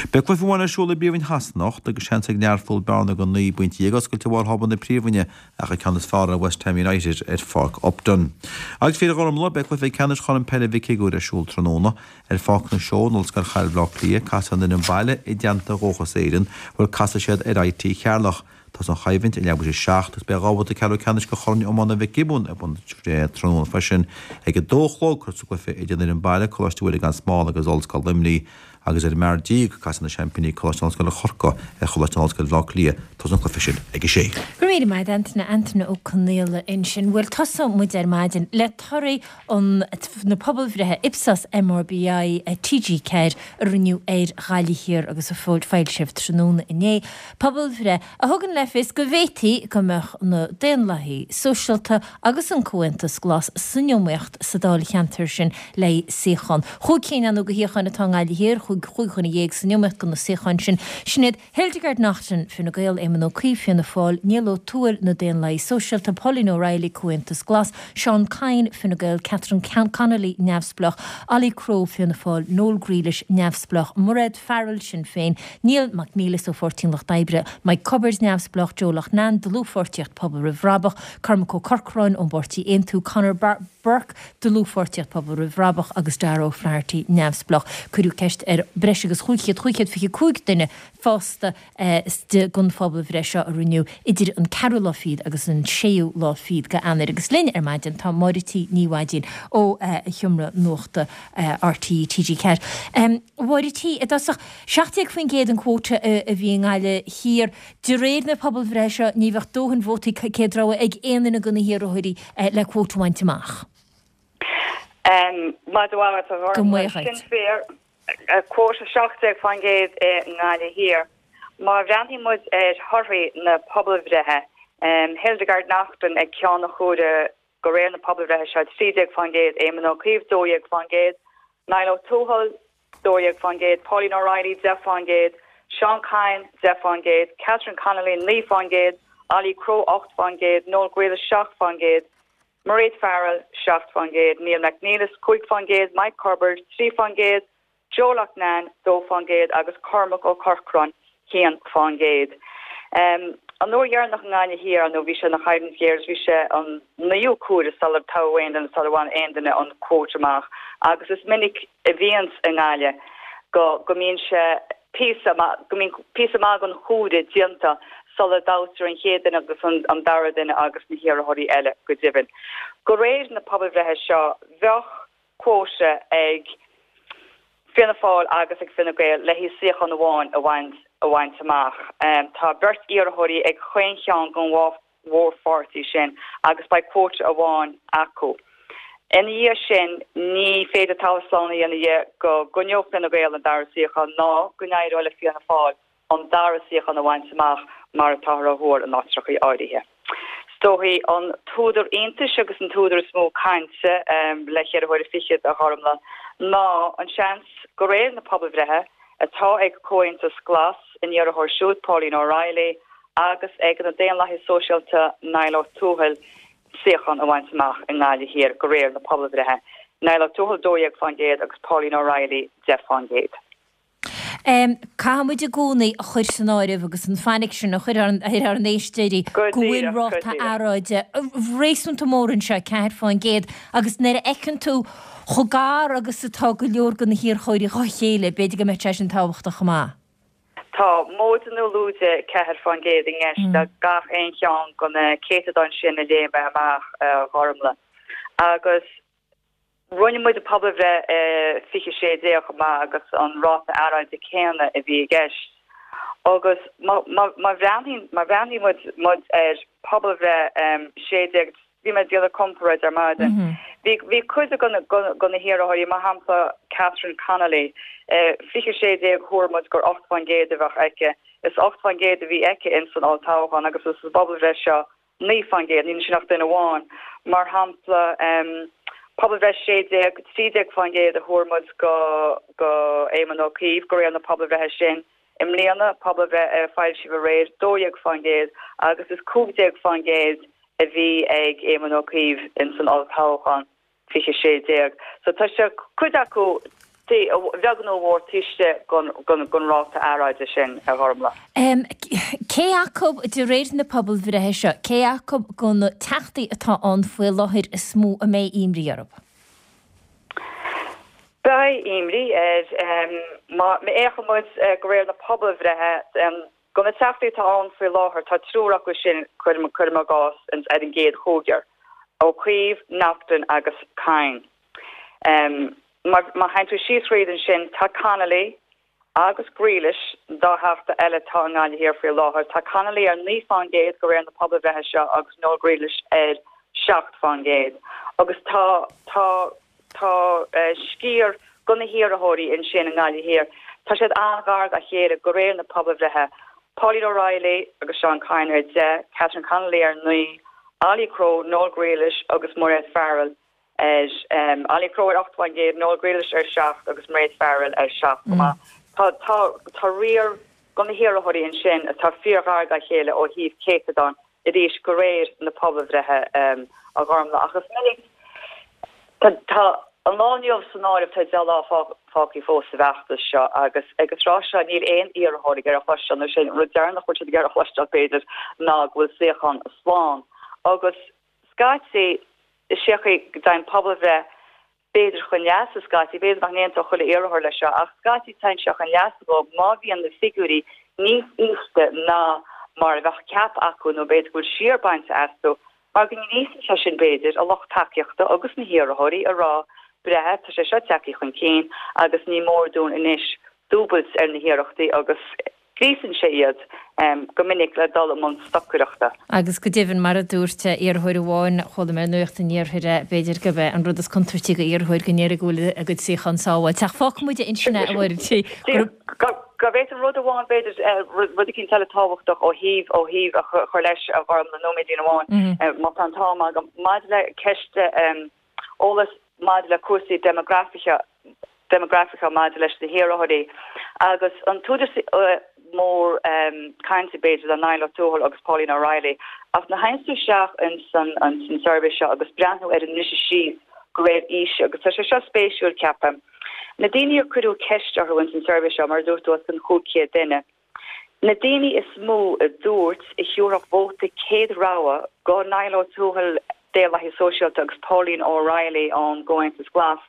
Beidh cluiche amháin ar siúl i bPríomhroinn Shasana anocht agus seans ag Learpholl bearna de naoi bpointe dhéag a oscailt ar bharr thábla na Príomhroinne ach an ceann is fearr ar West Ham United ar Pháirc Upton. Agus a fhir Ghormfhlaith, beidh cluiche ceannais Chorn Peile Mhic Shigiúir ar siúl tráthnóna ar Pháirc na Seó in Ollscoil Chathair Bhaile Átha Cliath. Casfaidh an fhoireann baile i dteannta Dhóchas Éireann, bhuel casfaidh siad ar IT Cheatharlach. Tosóidh an choimhlint ag leathuair tar éis a seacht agus beidh dhá bhabhta ceathrú ceannais de Chorn Iomána Mhic Giobúin ar bun tráthnóna freisin ag a dó a chlog cuirfear an cluiche idir an fhoireann baile, Coláiste Mhuire gan Smál agus Ollscoil Luimnigh agus ar an mbeár déag casfaidh na seaimpíní Coláiste na hOllscoile Corcaigh ar Choláiste na hOllscoile Bhaile Átha Cliath. Tosóidh an cluiche sin ag a sé. Go raibh míle maith agat Antaine, Antaine Ó Conaola ansin. Bhuel tosóidh muid ar maidin le torthaí an na pobalbhreithe Ipsos MRBI T G ceathair a rinneadh ar Ghaillimh Thiar agus a foilsíodh tráthnóna inné. Pobalbhreith a thugann le fios go bhféadfaí go mbeadh na Daonlathaigh Sóisialta agus an Comhaontas Glas san iomaíocht sa dáilcheantar sin le suíochán. Chúig cinn ar ndóigh de shuíocháin atá i nGaillimh Thiar, chúig dhuine dhéag san iomaíocht do na suíocháin sin. Sin iad Hildegarde Naughton, Fine Gael, Éamon Ó Cuív, Fianna Fáil, Niall Ó Tuathail, Na Daonlathaigh Sóisialta, Pauline O'Reilly, Comhaontas Glas, Seán Kyne, Fine Gael, Catherine Connolly, Neamhspleách, Ollie Crowe, Fianna Fáil, Noel Grealish, Neamhspleách, Mairéad Farrell, Sinn Féin, Niall Mac Niallais ó Pháirtí an Lucht Oibre, Mike Cubbard, Neamhspleách, Joe Loughnane, Dlúthpháirtíocht Pobal Roimh Bhrabach, Cormac Ó Corcoráin ón bPáirtí Aontú, Conor Burke, Dlúthpháirtíocht Pobal Roimh Bhrabach agus Darragh O'Flaherty, Neamhspleách. Cuireadh ceist ar breis agus chúig chéad, chúig chéad fiche cúig duine fásta don phobalbhreith seo a rinneadh idir an ceathrú lá fichead agus an séú lá fichead de Eanáir. Agus linn ar maidin tá Máire T Ní Mhaidín ó Sheomra Nuachta R T E T G ceathair. A Mháire T, i dtosach, seacht déag faoin gcéad an cuóta a bhí i nGaillimh Thiar. De réir na pobalbhreithe seo ní bheadh dóthain vótaí céad rogha ag aon duine de na hiarrthóirí le cuóta a bhaint amach. Maidin mhaith agat, a Go Ghormfhlaith. maith Sin dhuit. fíor. Cuóta seacht déag faoin gcéad i nGaillimh Thiar. Má bhreathnaíonn muid ar thorthaí na pobalbhreithe, Hildegarde Naughton ag ceann an chomhairimh de réir na pobalbhreithe seo, trí déag faoin gcéad, Éamon Ó Cuív, dó dhéag faoin gcéad, Niall Ó Tuathail, dó dhéag faoin gcéad, Pauline O'Reilly, deich faoin gcéad, Seán Kyne, deich faoin gcéad, Catherine Connolly, naoi faoin gcéad, Ollie Crowe, ocht faoin gcéad, Noel Grealish, seacht faoin gcéad, Mairéad Farrell, seacht faoin gcéad, Neil McNeilis, cúig faoin gcéad, Mike Culbert, trí faoin gcéad, Joe Loughnane, dó faoin gcéad, agus Cormac Ó Corcráin, haon faoin gcéad. An uair dheireanach i nGaillimh Thiar, nó bhí sé ina choimhlint ghéar is bhí sé an naoú cuaire sular toghadh aon duine, sular bhain aon duine an quota amach agus is minic a bhíonns i nGaillimh go go mbíonn sé píosa go mbíonn píosa maith den chuaire déanta sula dtoghtar an chéad duine agus an dara duine agus na hiarrthóirí eile go deimhin. De réir na pobalbhreithe seo bheadh quota ag Fianna Fáil agus ag Fine Gael le haghaidh suíochán amháin a bhaint a bhaint amach. Tá beirt iarrthóirí ag chaon cheann den dhá mhórpháirtí sin agus beidh quota amháin acu. Ina dhiaidh sin, ní féidir talamh slán a dhéanamh dhe go gcoinneoidh Fine Gael an dara suíochán ná go n-éireoidh le Fianna Fáil an dara suíochán a bhaint amach mar atáthar á thuar in áitreachaí áirithe. Is dóichí an t-údar iontais agus an t-údar is mó cainte le ceithre huaire fichead, a Ghormlaith, ná an seans, de réir na pobalbhreithe, atá ag Comhaontas Glas, a n-iarrthóir siúd Pauline O'Reilly agus ag na Daonlathaigh Sóisialta Niall Ó Tuathail, suíochán a bhaint amach i nGaillimh Thiar de réir na pobalbhreithe, Niall Ó Tuathail dó dhéag fán gcéad agus Pauline O'Reilly deich fán gcéad. Caithfidh muid i gcónaí a chur san áireamh agus an fainic sin a chur ar ár n-éisteoirí go bhfuil ráta earráide réasúnta mór anseo, ceathair fán gcéad, agus nuair a fheiceann tú chomh gar agus atá go leor de na hiarrthóirí dhá chéile, b'fhéidir go mbeadh sé sin tábhachtach chomh maith. Tá móide nó lúide ceathair fán gcéad i gceist le gach aon cheann de na céatadáin sin a léigh mé amach, a Ghormlaith. Agus rinne muid an pobalbhreith i fiche sé déag chomh maith agus an ráta earráide céanna a bhí i gceist. Agus má bhreathnaíonn má bhreathnaíonn muid muid ar pobalbhreith sé déag, Bhí mé ag déanamh comparáid ar maidin. Bhí bhí cuid de de na hiarrthóirí, mar shampla Catherine Connolly, fiche sé déag thuar muid gur ocht faoin gcéad a bheadh aici. Is ocht faoin gcéad a bhí aici ins an olltoghchán agus sa bpobalbhreith seo naoi faoin gcéad, níl ansin ach duine amháin. Mar shampla, pobalbhreith sé déag, trí déag faoin gcéad a thuar muid go go Éamon Ó Cuív de réir na pobalbhreithe sin. I mbliana, pobalbhreith a foilsíodh aréir, dó dhéag faoin gcéad agus is cúig déag faoin gcéad a bhí ag Éamon Ó Cuív ins an olltoghchán fiche sé déag. So tá sé, cuid acu, a bheag nó a mhór taobh istigh den ráta earráide sin, a Ghormlaith. Cé acu, de réir na pobalbhreithe seo, cé acu de na teachtaí atá ann faoi láthair is mó a mbeidh imní orthu? Beidh imní ar, má fhéachann muid de réir na pobalbhreithe, De na teachtaí atá ann faoi láthair, tá triúr acu sin, cuirim i gcás, ar an gcéad chúigear, Ó Cuív, Naughten agus Kyne. Má théann tú síos thríd ansin, tá Connolly agus Grealish, an dá theachta eile atá i nGaillimh Thiar faoi láthair, tá Connolly ar naoi fán gcéad de réir na pobalbhreithe seo agus Noel Grealish ar seacht fán gcéad. Agus tá, tá. Tá sciar de na hiarrthóirí ansin i nGaillimh Thiar, tá siad an-ghar dá chéile de réir na pobalbhreithe, Pauline O'Reilly agus Seán Kyne ar deich, Catherine Connolly ar naoi, Ollie Crowe, Noel Grealish agus Mairéad Farrell ar, Ollie Crowe ar ocht faoin gcéad, Noel Grealish ar seacht agus Mairéad Farrell ar seacht chomh maith. Tá, tá, tá riar de na hiarrthóirí ansin atá fíorghar dá chéile ó thaobh céatadán arís de réir na pobalbhreithe, a Ghormlaith. Ach is minic, Tá an lá inniu san áireamh, tá deich lá fágtha fós sa bhfeachtas seo agus ag an tráth seo níl aon iarrthóir ag iarraidh a chloisteáil, nó sé an rud deireanach a bhfuil siad ag iarraidh a chloisteáil b'fhéidir, ná go bhfuil suíochán slán. Agus scaití, is é an chaoi go dtéann pobalbhreith b'fhéidir chun leasa scaití, b'fhéidir nach n-aontódh chuile iarrthóir leis seo, ach scaití téann sé chun leasa dóibh má bhíonn na figiúirí níos ísle ná mar a bheadh ceaptha acu nó b'fhéidir go bhfuil siar bainte astu. Mar go ngríosann sé sin, b'fhéidir, a lucht tacaíochta agus na hiarrthóirí a rá, breá, tá sé seo tagtha chun cinn agus ní mór dúinn anois dúbailt ar na hiarrachtaí agus gríosann sé iad go minic le dul i mbun stocaireachta. Agus go deimhin, mar a dúirt iarrthóir amháin, chuala mé ar Nuacht an Iarthair é, b'fhéidir gurb é an rud is contúirtí do iarrthóir go ndéarfaí go bhfuil a gcuid suíochán sábháilte. Ach fágfaidh muid ansin é, a Mháire. Go bhféadfainn rud amháin, b'fhéidir, rud eicínt eile tábhachtach ó thaobh, ó thaobh a chur leis, a Ghormlaith, nóiméidín amháin, má tá an t-am agam, maidir le ceist eolas maidir le cúrsaí déimeagrafaiche, déimeagrafacha maidir leis na hiarrthóirí agus an t-údar mór cainte b'fhéidir le Niall O'Tuathail agus Pauline O'Reilly ach nuair a théann tú isteach in san an san suirbhé seo agus breathnú ar an mbriseadh síos de réir aoise agus tá sé seo spéisiúil ceapaim. Na daoine a cuireadh ceist orthu in san suirbhé seo mar a dúirt tú os cionn cúig chéad duine. Na daoine is mó a dúirt a thiúrfadh vóta céad rogha go Niall O'Tuathail Daonlathaí Sóisialta agus Pauline O'Reilly ón gComhaontas Glas,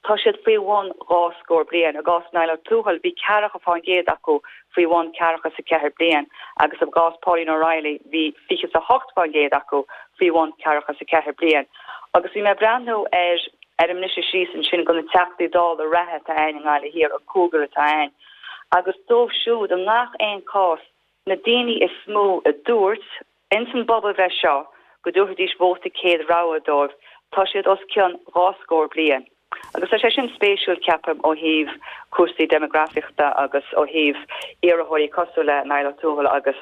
tá siad faoi bhun dhá scór bliain. I gcás Niall O'Tuathail bhí ceathracha fán gcéad acu faoi bhun ceathracha is a ceathair bliain agus i gcás Pauline O'Reilly bhí fiche is a hocht fán gcéad acu faoi bhun ceathracha is a ceathair bliain. Agus bhí mé ag breathnú ar ar an mbriseadh síos ansin go na Teachtaí Dála reatha atá ann i nGaillimh Thiar, an cúigear atá ann, agus dóibh siúd i ngach aon chás na daoine is mó a dúirt ins an bpobalbhreith seo go dtabharfaidís vóta céad rogha dóibh, tá siad os cionn dhá scór bliain. Agus tá sé sin spéisiúil, ceapaim, ó thaobh cúrsaí déimeagrafíochta agus ó thaobh iarrthóirí cosúil le Niall O'Tuathail agus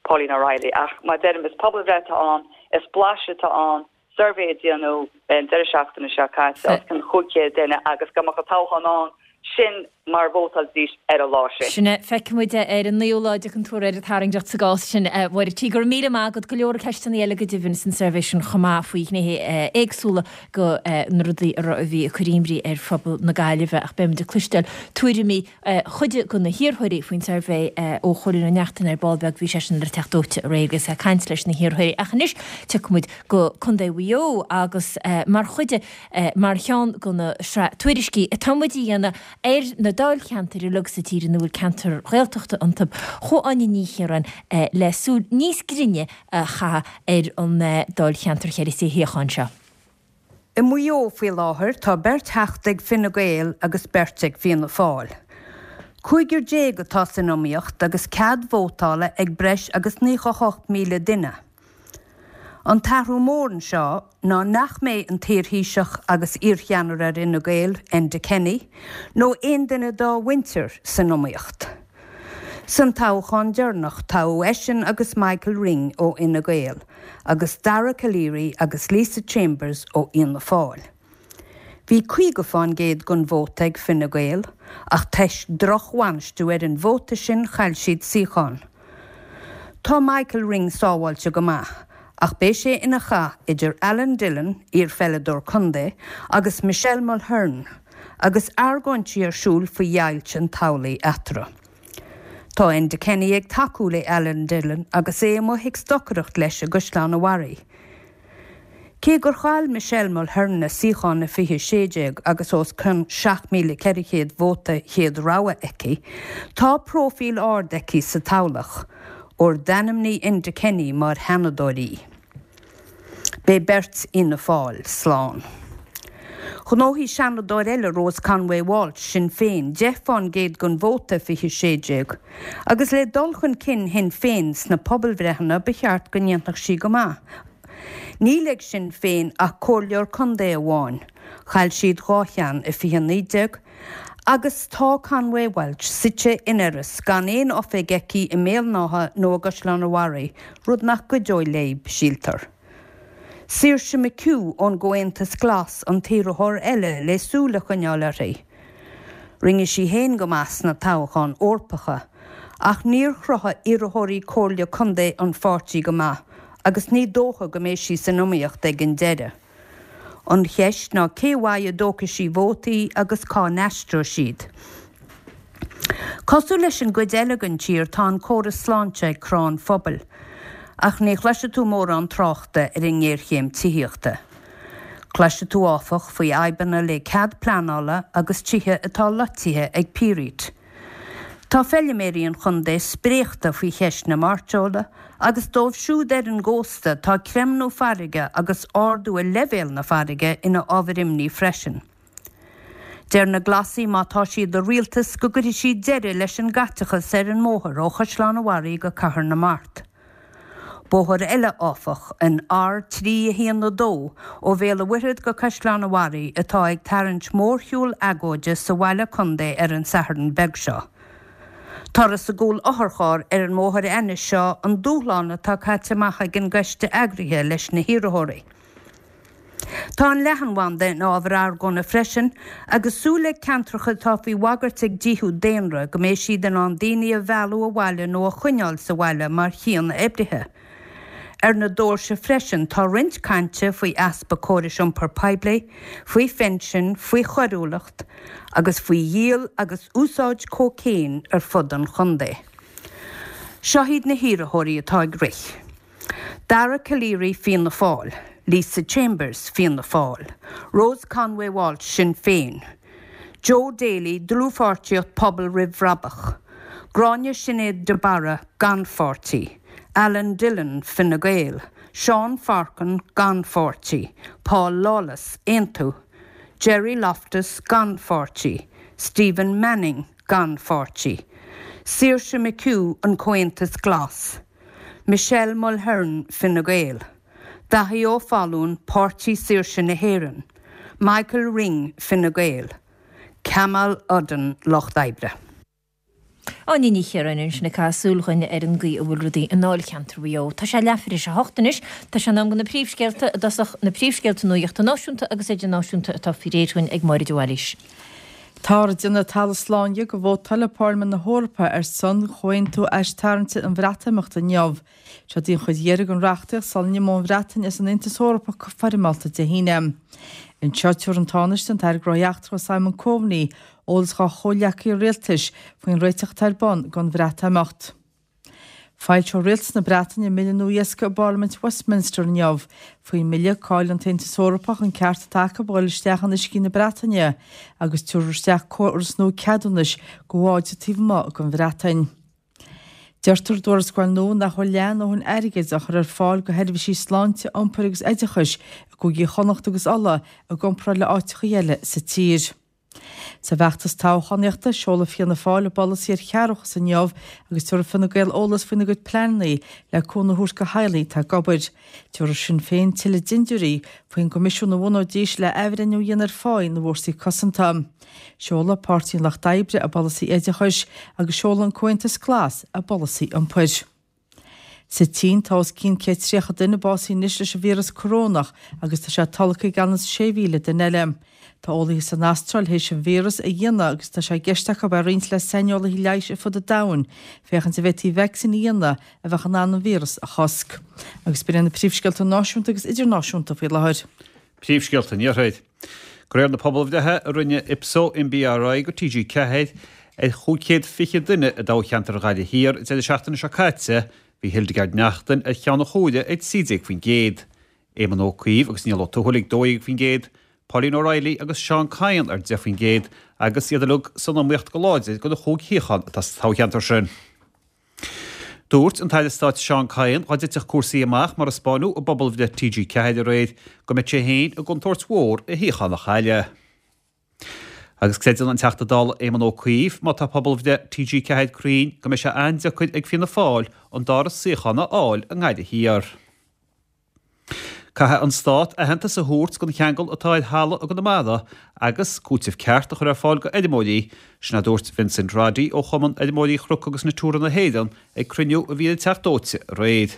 Pauline O'Reilly. Ach mar a deirim, is pobalbhreith atá ann, is blaiseadh atá ann, suirbhé a déanadh an deireadh seachtaine seo caite os cionn chúig chéad duine agus go mbeadh an toghchán ann, sin mar a vótálfaidís ar an lá sin. Sin é. Feicfidh muid é ar an naoú lá déag an tuar ar an tairngreacht sa gcás sin, a Mháire T. Go raibh míle maith agat. Go leor ceisteanna eile go deimhin san suirbhé sin chomh maith faoi ghnéithe éagsúla de na rudaí a bhí ag cur imní ar phobal na Gaillimhe ach beidh muid ag cloisteáil tuairimí chuid de na hiarrthóirí faoin suirbhé ó Chóilín Ó Neachtain ar ball beag. Bhí seisean ar an Teach Dóite aréir agus é ag caint leis na hiarrthóirí. Ach anois tiocfaidh muid go Contae Mhaigh Eo agus mar chuid de, mar cheann de na sraith tuairiscí atá muid a dhéanamh ar na dáilcheantair uilig sa tír ina bhfuil ceantair Ghaeltachta iontu, chuaigh Áine Ní Chiaráin le súil níos grinne a chaitheamh ar an dáilcheantar cheithre shuíochán seo. I Maigh Eo faoi láthair tá beirt Theachta ag Fine Gael agus beirt ag Fianna Fáil. Cúigear déag atá san iomaíocht agus cead vótála ag breis agus naocha hocht míle duine. An t-athrú mór anseo ná nach mbeidh an t-iarThaoiseach agus iarcheannaire ar Fhine Gael, Enda Kenny, nó aon duine dá mhuintir san iomaíocht. San toghchán deireanach toghadh eisean agus Michael Ring ó Fhine Gael agus Dara Calleary agus Lisa Chambers ó Fhianna Fáil. Bhí caoga fán gcéad den vóta ag Fine Gael ach toisc drochbhainistiú ar an vóta sin chaill siad suíochán. Tá Michael Ring sábháilte go maith, ach beidh sé ina chath idir Alan Dillon, iarpheileadóir contae, agus Michelle Mulhern, agus argóintí ar siúl faoi dheighilt an toghlaigh eatarthu. Tá Enda Kenny ag tacú le Alan Dillon agus é amuigh ag stocaireacht leis i gCaisleán an Bharraigh. Cé gur chaill Michelle Mulhern a suíochán i fiche sé déag agus os cionn seacht míle ceithre chéad vóta chéad rogha aici, tá próifíl ard aici sa toghlach, óir d'ainmnigh Enda Kenny mar sheanadóir í. Beidh beirt Fhianna Fáil slán. Ghnóthaigh seanadóir eile, Rose Conway Walsh, Sinn Féin, deich fán gcéad den vóta i fiche sé déag, agus le dul chun cinn Shinn Féin sna pobalbhreitheanna ba cheart go ndéanfadh sí go maith. Níl ag Sinn Féin ach comhairleoir contae amháin, chaill siad dhá cheann i fiche naoi déag, agus tá Conway Walsh suite in Iorras gan aon oifig aici i mBéal an Átha nó i gCaisleán an Bharraigh, rud nach gcuideoidh léi, síltear. Saoirse McHugh ón gComhaontas Glas an t-iarrthóir eile le súil a choinneáil uirthi. Rinne sí féin go maith sna toghcháin Eorpacha, ach níor chruthaigh iarrthóirí comhairle contae an pháirtí go maith agus ní dócha go mbeidh sí san iomaíocht ag an deireadh. An cheist ná cé uaidh a dtógfaidh sí vótaí agus cá n-aistreoidh siad. Cosúil leis an gcuid eile den tír tá an córas sláinte ag crá an phobail, ach ní chloisfidh tú mórán tráchta ar an ngéarchéim tithíochta. Cloisfidh tú áfach faoi fhadhbanna le cead pleanála agus tithe atá loitithe ag pírit. Tá feilméaraí an chontae spréachta faoi cheist na mairteola agus dóibh siúd ar an gcósta tá creimniú farraige agus ardú i leibhéal na farraige ina ábhar imní freisin. Deir na Glasaigh má tá siad i rialtas go gcuirfidh siad deireadh leis an gcaiteachas ar an mbóthar ó Chaisleán an Bharraigh go Cathair na Mart. Bóthar eile, áfach, an R trí a haon a dó ó Bhéal an Mhuirthead go Caisleán an Bharraigh atá ag tarraingt mórshiúl agóide sa bhaile contae ar an Satharn beag seo. Turas i gcúl otharchairr ar an mbóthar ainnis seo an dúshlán atá caite amach ag an gcoiste eagraithe leis na hiarrthóirí. Tá an leathanbhanda in ábhar argóna freisin agus súil ag ceantracha atá faoi bhagairt ag díothú daonra go mbeidh siad in ann daoine a mhealladh abhaile nó a choinneáil sa bhaile mar chian-oibrithe. Ar na doirse freisin tá roinnt cainte faoi easpa córais iompair poiblí, faoi phinsin, faoi choiriúlacht agus faoi dhíol agus úsáid cócaoin ar fud an chontae. Seo iad na hiarrthóirí atá ag rith. Dara Calleary Fianna Fáil, Lisa Chambers Fianna Fáil, Rose Conway Walsh Sinn Féin, Joe Daly Dlúthpháirtíocht Pobal Roimh Bhrabach, Gráinne Sinéad de Barra gan pháirtí, Alan Dillon Fine Gael, Seán Farkin gan pháirtí, Paul Lawless Aontú, Gerry Loftus gan pháirtí, Stephen Manning gan pháirtí, Saoirse McHugh an Comhaontas Glas, Michelle Mulhern Fine Gael, Daithí Ó Fallúin Páirtí Saoirse na hÉireann, Michael Ring Fine Gael, Kamal Uddin Lucht Oibre. Áine Ní Chiaráin ansin ag caitheamh súil dhúinn ar an gcaoi a bhfuil rudaí i ndáilcheantar Mhaigh Eo. Tá sé leathuair tar éis a hocht anois. Tá sé in am do na príomhscéalta i dtosach, na príomhscéalta nuachta náisiúnta agus idirnáisiúnta atá faoi réir dhúinn ag Máire de Bhailís. Táthar ag déanamh talamh slán dhe go vótálfaidh Parlaimint na hEorpa ar son chomhaontú aistarraingte an Bhreatimeachta inniu. Seo í an chuid dheiridh den reachtaíocht sula n-imeoidh an Bhreatain as an Aontas Eorpach go foirmeálta Dé hAoine. Anseo tabharfaidh an Tánaiste, an tAire Gnóthaí Eachtracha Simon Coveney, eolas dá chomhghleacaithe rialtais faoin réiteach atá ar bun don Bhreatimeacht. Foilseoidh Rialtas na Breataine a mbille nua iascaigh i bParlaimint Westminster inniu. Faoin mbille, caillfidh an tAontas Eorpach an ceart atá acu a dhul isteach in uiscí na Breataine agus tabharfar isteach córas nua ceadúnais do bháid taobh amuigh den Bhreatain. Deirtear i dtuarascáil nua nach bhfuil leath a ndóthain airgid á chur ar fáil do sheirbhísí sláinte, iompair agus oideachais i gcúigí Chonnacht agus Uladh i gcomparáid le áiteacha eile sa tír. Sa bhfeachtas toghchánaíochta, seolfaidh Fianna Fáil a bpolasaí ar chearrbhachas inniu agus tabharfaidh Fine Gael eolas faoina gcuid pleananna le cúnamh a thabhairt do theaghlaigh atá ag obair. Tabharfaidh Sinn Féin tuilleadh dintiúirí faoin gcoimisiún a bhunóidís le athbhreithniú a dhéanamh ar pháí na bhfórsaí cosanta. Seolfaidh Páirtí an Lucht Oibre a bpolasaí oideachais agus seolfaidh an Comhaontas Glas a bpolasaí iompair. Sa tSín, tá os cionn céad tríocha duine básaithe anois leis an víreas corónach agus tá sé tolgtha ag anuas sé mhíle duine eile. Tá eolaithe san Astráil théis an víreas a dhéanamh agus tá sé i gceist acu é a roinnt le saineolaithe leighis ar fud an domhain féachaint an bhféadfaí vacsaín a dhéanamh a bheadh in ann an víreas a chosc. Agus b'in iad na príomhscéalta náisiúnta agus idirnáisiúnta faoi láthair. Príomhscéalta an Iarthair. De réir na pobalbhreithe a rinne Ipso NBRI go T G ceathair ar chúig chéad fiche duine i dtoghcheantar Ghaillimh Thiar an deireadh seachtaine seo caite, bhí Hildegarde Naughton ar cheann an chomhaire ag trí déag faoin gcéad, Éamon Ó Cuív agus Niall Ó Tuathail ag dó dhéag faoin gcéad, Pauline O'Reilly agus Seán Kyne ar deich faoin gcéad agus iad uilig san iomaíocht go láidir do na chúig shuíochán atá sa toghcheantar sin. Dúirt an tAire Stáit Seán Kyne dá dtitfeadh cúrsaí amach mar a 'spáineadh i bpobalbhreith T G ceathair aréir go mbeadh sé féin i gcontúirt mhór a shuíochán a chailleadh. Agus creideann an Teachta Dála Éamon Ó Cuív, má tá pobalbhreith T G ceathair cruinn, go mbeidh sé an-deacair ag Fianna Fáil an dara suíochán a fháil i nGaillimh Thiar. Caithfidh an Stát aitheantas a thabhairt don cheangal atá ar thalamh i gConamara agus cúiteamh ceart a chur ar fáil do fheirmeoirí, sin a dúirt Vincent Roddy ó Chumann Fheirmeoirí Chnoc agus Natura na hÉireann ag cruinniú a bhí ar an Teach Dóite aréir.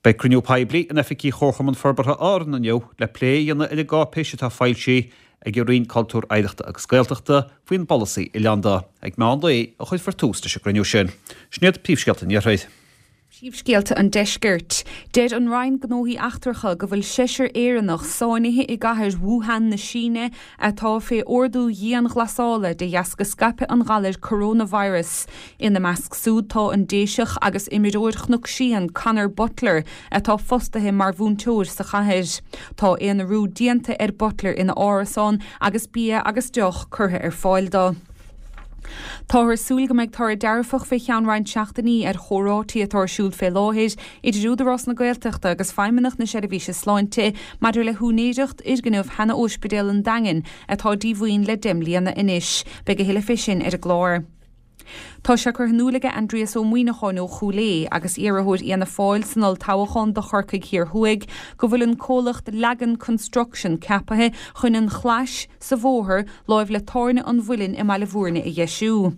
Beidh cruinniú poiblí in oifigí Chomharchumann Forbartha Árann inniu le plé a dhéanamh ar an gcáipéis atá foilsithe ag an Roinn Cultúir, Oidhreachta agus Gaeltachta faoin bpolasaí oileánda. Ag meán lae a chuirfear tús leis an gcruinniú sin. Sin iad príomhscéalta an Iarthair. Príomhscéalta an Deiscirt. Deir an Roinn Gnóthaí Eachtracha go bhfuil seisear Éireannach sáinnithe i gcathair Wuhan na Síne atá fé ordú dianghlasála de dheasca scaipeadh an ghalair coronavirus. Ina measc súd tá an Déiseach agus imreoir Chnoc Síon Conor Butler atá fostaithe mar mhúinteoir sa chathair. Tá aonarú déanta ar Butler ina árasán agus bia agus deoch curtha ar fáil dó. Táthar ag súil go mbeidh toradh dearfach fé cheann roinnt seachtainí ar chomhráití atá ar siúl fé láthair idir Údarás na Gaeltachta agus Feidhmeannacht na Seirbhíse Sláinte maidir le húinéireacht fhoirgneamh Sheana Ospidéal an Daingin atá díomhaoin le deich mbliana anois. Beidh a thuilleadh fé sin ar an gclár. Tá sé curtha in iúl aige Aindrias Ó Muimhneacháin ó Chúil Aodha agus iarrthóir Fhianna Fáil san olltoghchán do Chorcaigh Thiar Thuaidh go bhfuil an comhlacht Lagan Construction ceapaithe chun an chlais sa bhóthar láimh le Tábhairne an Mhuilinn i mBaile Bhúirne a dheisiú.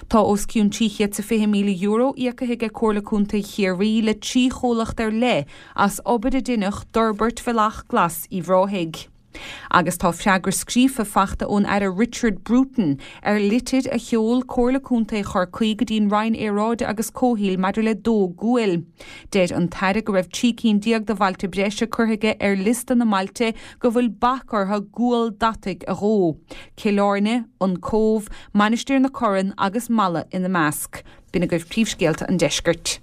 Tá os cionn trí chéad is fiche míle euro íoctha ag Comhairle Contae Chiarraí le trí chomhlacht ar leith as obair a deineadh d'fhorbairt Bhealach Glas Uíbh Ráthaigh. Agus tá freagra scríofa faighte ón Aire Richard Bruton ar litir a sheol Comhairle Contae Chorcaí go dtí'n Roinn Aeráide agus Comhshaoil maidir le dó guail. Deir an tAire go raibh trí cinn déag de bhailte breise curtha aige ar liosta na mbailte go bhfuil bac orthu gual deataigh a dhó. Cill Airne, An Cóbh, Mainistir na Corann agus Mala ina measc. B'in agaibh príomhscéalta an deiscirt.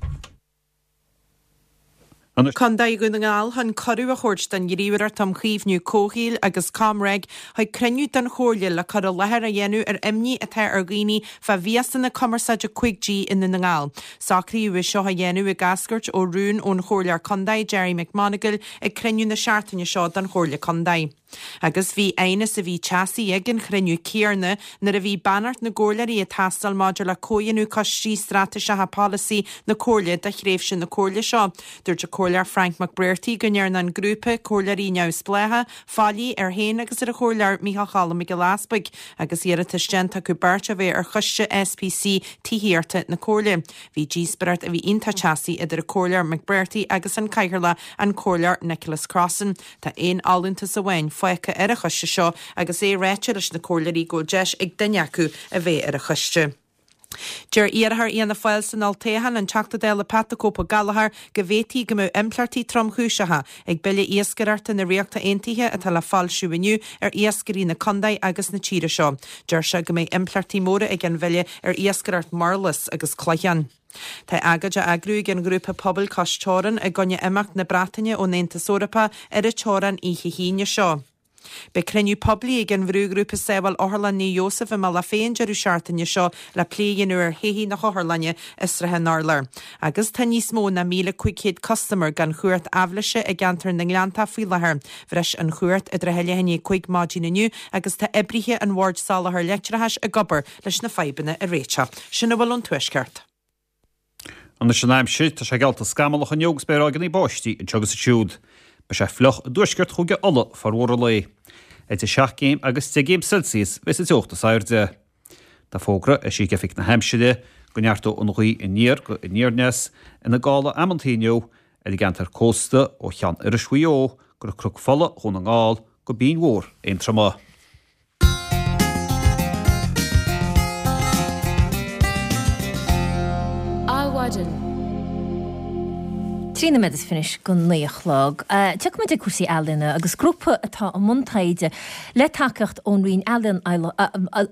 Contae Dhún na nGall chun cuireadh a thabhairt don Ghníomhaireacht um Chaomhnú Comhshaoil agus ComReg chuig cruinniú den Chomhairle le cur i láthair a dhéanamh ar imní atá ar dhaoine fá mhiasanna cumarsáide cúig G i nDún na nGall. Socraíodh é seo a dhéanamh ag eascairt ó rún ón Chomhairleoir Contae Gerry McMonagle ag cruinniú na seachtaine seo den Chomhairle Contae. Agus bhí aighneas a bhí teasaí ag an chruinniú céanna nuair a bhí beannacht na gcomhairleoirí ag teastáil maidir le comhdhéanamh coistí straitéiseacha polasaí na Comhairle do thréimhse na Comhairle seo. Dúirt an Comhairleoir Frank McBrearty go ndearna an grúpa comhairleoirí neamhspleácha faillí air féin agus ar an Chomhairleoir Micheál Choilm Mac Giolla Easpaig agus iarratas déanta acu beirt a bheith ar choiste S P C Tithíochta na Comhairle. Bhí díospóireacht a bhí iontach teasaí idir an Comhairleoir McBrearty agus an Cathaoirleach an Comhairleoir Nicholas Crossan. Tá aon fholúntas amháin fágtha ar an choiste seo agus é ráite leis na comhairleoirí go bhfuil deis ag duine acu a bheith ar an choiste. Deir iarrthóir Fhianna Fáil san olltoghchán, an Teachta Dála Pat the Cope Gallagher, go bhféadfaí go mbeadh impleachtaí tromchúiseacha ag Bille Iascaireachta na Ríochta Aontaithe atá le foilsiú inniu ar iascairí na contae agus na tíre seo. Deir sé go mbeidh impleachtaí móra ag an bhille ar iascaireacht murlas agus cloicheán. Tá agóid á eagrú ag an ghrúpa pobail Cois Teorann i gcoinne imeacht na Breataine ón Aontas Eorpach ar an teorainn oíche hAoine seo. Beidh cruinniú poiblí ag an bhrúghrúpa Sábháil Otharlann Naomh Iósaf i mBealach Féich an deireadh seachtaine seo le plé a dhéanamh ar thodhchaí na hotharlainne i Srath an Urláir. Agus tá níos mó ná míle cúig chéad custaiméir gan chumhacht aibhléise i gceantar na nGleanntach faoi láthair. Bhris an chumhacht i dtrátha leath i ndiaidh a cúig maidin inniu agus tá oibrithe an Bhoird Soláthair Leictreachais ag obair leis na fadhbanna a réiteach. Sin a bhfuil ón Tuaisceart. Anois an aimsir, tá sé geallta scamallach inniu agus beidh ráigeanna báistí anseo agus ansiúd. Beidh sé fliuch i dtuaisceart Chúige Uladh formhór an lae. Idir seacht gcéim agus deich gcéim Celsius bheas an teocht is airde. Tá fógra eisithe ag Oifig na hAimsire go neartóidh an ghaoth aniar go aniar aneas ina gála amantaí inniu ar an gceantar cósta ó Cheann Iorrais Mhaigh Eo go Cnoc Fola Dhún na nGall go Binn Mhór Aontroma. Adhmhaidin. Trí nóiméad is fiche go naoi a chlog. Tiocfaidh muid ag cúrsaí ealaíona agus grúpa atá i mbun taighde le tacaíocht ón Roinn Ealaíon,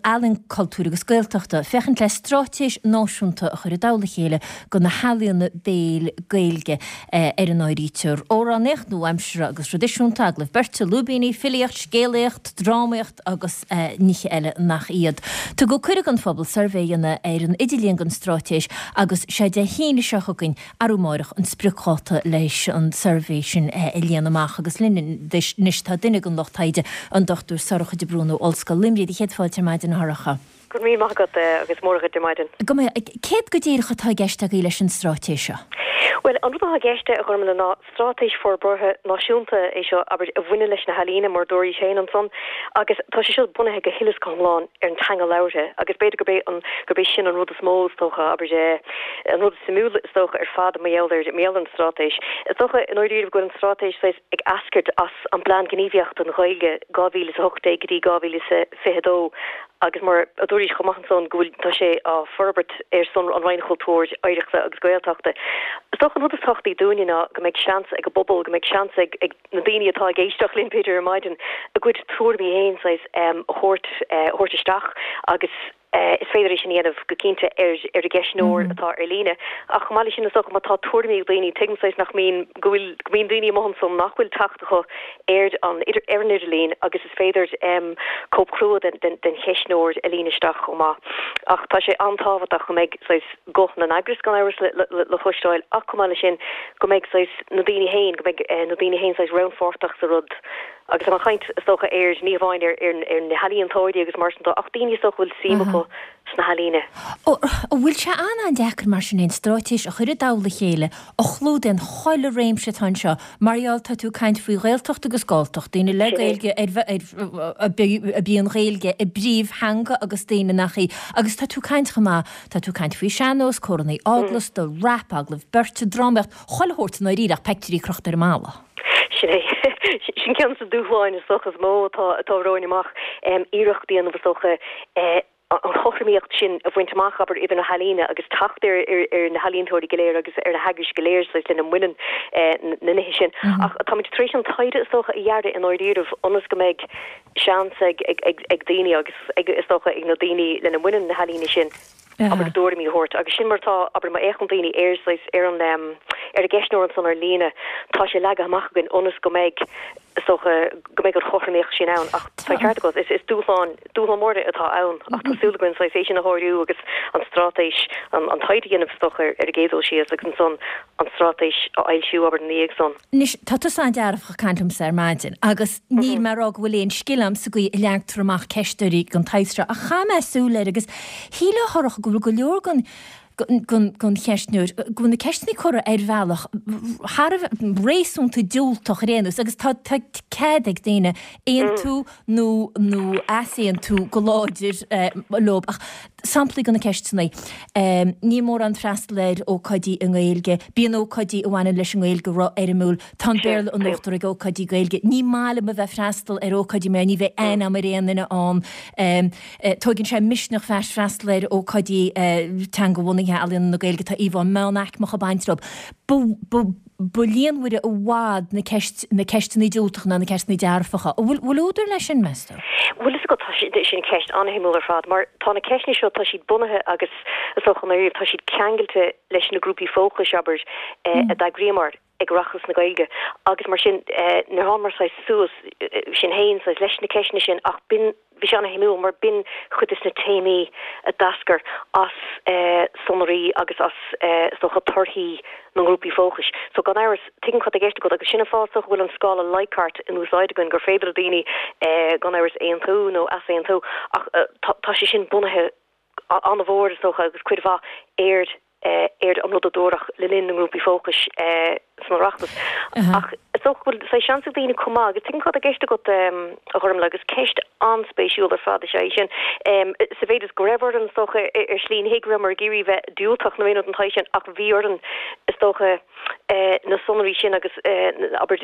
Ealaíon, Cultúir agus Gaeltachta féachaint le straitéis náisiúnta a chur i dtoll a chéile do na healaíona béil Gaeilge ar a n-áirítear amhránaíocht nua-aimseartha agus thraidisiúnta, agallaimh beirte, lúibíní, filíocht, scéalaíocht, drámaíocht agus nithe eile nach iad. Tugadh cuireadh don phobal suirbhé a dhéanamh ar an idirlíon don straitéis agus sé Dé hAoine seo chugainn, arú amárach, an spriocdháta leis an suirbhé sin a líonadh amach agus linn anois tá duine den lucht taighde, an Dochtúir Sorcha de Brún ó Ollscoil Luimnigh. Céad fáilte ar maidin, a Shorcha. Go raibh míle maith agat agus móra dhuit ar maidin. Go mbeidh. Céard go díreach atá i gceist agaibh leis an straitéis seo? Bhuel, an rud atá i gceist, a Ghormfhlaith, ná straitéis forbartha náisiúnta é seo, abair, a bhaineann leis na healaíona, mar a dúraís féin ansan, agus tá sé seo bunaithe go huile is go hiomlán ar an teanga labhartha agus b'fhéidir gurb é an, gurb é sin an rud is mó, is dócha, abair, an rud is suimiúla, is dócha, ar fad mar gheall ar, mar gheall ar an straitéis. Is dócha, i ndáiríribh, go bhfuil an straitéis saghas ag eascairt as an bPlean Gníomhaíochta don Ghaeilge dhá mhíle is a hocht déag go dtí dhá mhíle is a fiche a dó agus mar a dúraís chomh maith ansan go bhfuil, tá sé á forbairt ar son an Roinn Chultúir, Oidhreachta agus Gaeltachta. Is dócha an rud is tábhachtaí dúinne ná go mbeidh seans ag an bpobal, go mbeidh seans ag ag na daoine atá ag éisteacht linn b'fhéidir ar maidin, a gcuid tuairimí féin saghas a thabhairt a thabhairt isteach agus is féidir é sin a dhéanamh go cinnte ar ar an gceistneoir atá ar líne. Ach chomh maith leis sin is dócha má tá tuairimí ag daoine, tuigim saghas nach mbíonn, go bhfuil, go mbíonn daoine amuigh ansan nach bhfuil teacht acu ar an ar an idirlíon agus is féidir cóip chrua den den cheistneoir a líonadh isteach chomh maith. Ach tá sé an-tábhachtach go mbeidh saghas guth na n-eagras gan amhras le le le cloisteáil ach chomh maith leis sin go mbeidh saghas na daoine féin, go mbeidh na daoine féin saghas rannpháirteach sa rud. Agus tá mé ag caint is dócha ar ní hamháin ar ar na healaíontóirí agus mar sin de ach daoine is dócha a bhfuil suim acu sna healaíona. An bhfuil sé an-an-deacair mar sin aon straitéis a chur i dtoll a chéile a chlúdaíonn chuile réimse atá anseo? Mar gheall, tá tú ag caint faoi Ghaeltacht agus Galltacht, daoine le Gaeilge ar a b'í an Ghaeilge a bpríomhtheanga agus daoine nach í. Agus tá tú ag caint chomh maith, tá tú ag caint faoi sean-nós, córannaí eaglasta, rap, agallamh beirte, drámaíocht, chuile shórt i ndáiríre ach peictiúirí crochta ar an mballa. Sin é. Sin ceann de na dúshláin is dócha is mó atá atá romhainn amach, iarracht a dhéanamh is dócha an chothromaíocht sin a bhaint amach, abair, idir na healaíona agus teacht ar ar na healaíontóirí go léir agus ar na heagrais go léir saghas lena mbaineann na nithe sin. Ach táimid tar éis an taighde is dócha a dhearadh i ndáiríribh ionas go mbeidh seans ag ag ag daoine agus ag is dócha ag na daoine lena mbaineann na healaíona sin, abair, a dtuairimí a thabhairt. Agus sin mar atá, abair, má fhéachann daoine ar saghas ar an ar an gceistneoir ansan ar líne, tá sé leagtha amach againn ionas go mbeidh, is dócha, go mbeidh an chothromaíocht sin ann. Ach tá an ceart agat, is is dúshlán, dúshlán mór atá ann ach tá súil againn saghas é sin a shárú agus an straitéis, an an taighde a dhéanamh is dócha ar an gcéad dul síos agus ansan an straitéis a fhoilsiú, abair, ina dhiaidh san. Anois, tá tusa an-dearfach ag caint liomsa ar maidin agus níl mé ag rá go bhfuil aon scil agam sa gcaoi a leagtar amach ceistneoirí den tsaghas seo ach chaith mé súil air agus shílfeá a Shorcha go bhfuil go leor den den cheistneoir, go bhfuil na ceisteanna curtha ar bhealach thar a bheith réasúnta diúltach ar aon nós agus tá tá cead ag daoine aontú nó nó easaontú go láidir leo ach samplaí de na ceisteanna, níl mórán freastal ar ócáidí i nGaeilge, bíonn ócáidí a bhaineann leis an nGaeilge ró-fhoirmiúil, tá an Béarla in uachtar ag ócáidí Gaeilge, ní maith liom a bheith ag freastal ar ócáidí mar ní bheidh aithne agam ar aon duine ann, tóigeann sé misneach bheith freastal ar ócáidí teanga-bhunaithe ealaíona na Gaeilge, tá íomhá meánaicmeach ag baint leo. Ba, ba líonmhaire i bhfad na ceist, na ceisteanna diúltacha ná na ceisteanna dearfacha. An bhfuil, bhfuil údar leis sin, meas tú? Bhuel, is agat, tá sé, sin ceist an-shuimiúil ar fad, mar tá na ceisteanna seo, tá siad bunaithe agus is dócha ndáiríre, tá siad ceangailte leis na grúpaí fócais, abair, a d'eagraíomar ag Oireachtas na Gaeilge agus mar sin, níor thángamar saghas suas sinn féin saghas leis na ceisteanna sin ach b'in, Bhí sé an-shuimiúil mar b'in cuid des na téamaí a d'eascair as sonraí agus as, is dócha, torthaí na ngrúpaí fócais. So gan amhras, tuigim cad tá i gceist agat agus sin an fáth is dócha go bhfuil an scála Likert in úsáid againn, gur féidir le daoine gan amhras aontú nó easaontú ach tá sé sin bunaithe an-mhór, is dócha, agus cuid mhaith ar ar an rud a dúradh le linn na ngrúpaí fócais san Oireachtas. Ach is dócha go bhfuil saghas seans ag daoine chomh maith, agus tuigim cad tá i gceist agat, a Ghormfhlaith, agus ceist an-spéisiúil ar fad is ea í sin, sa mhéid is go raibh orainn, is dócha, ar shlí, ní hé go rabhamar ag iarraidh bheith diúltach nó aon rud den tsaghas sin, ach bhí orainn, is dócha, na sonraí sin agus, abair,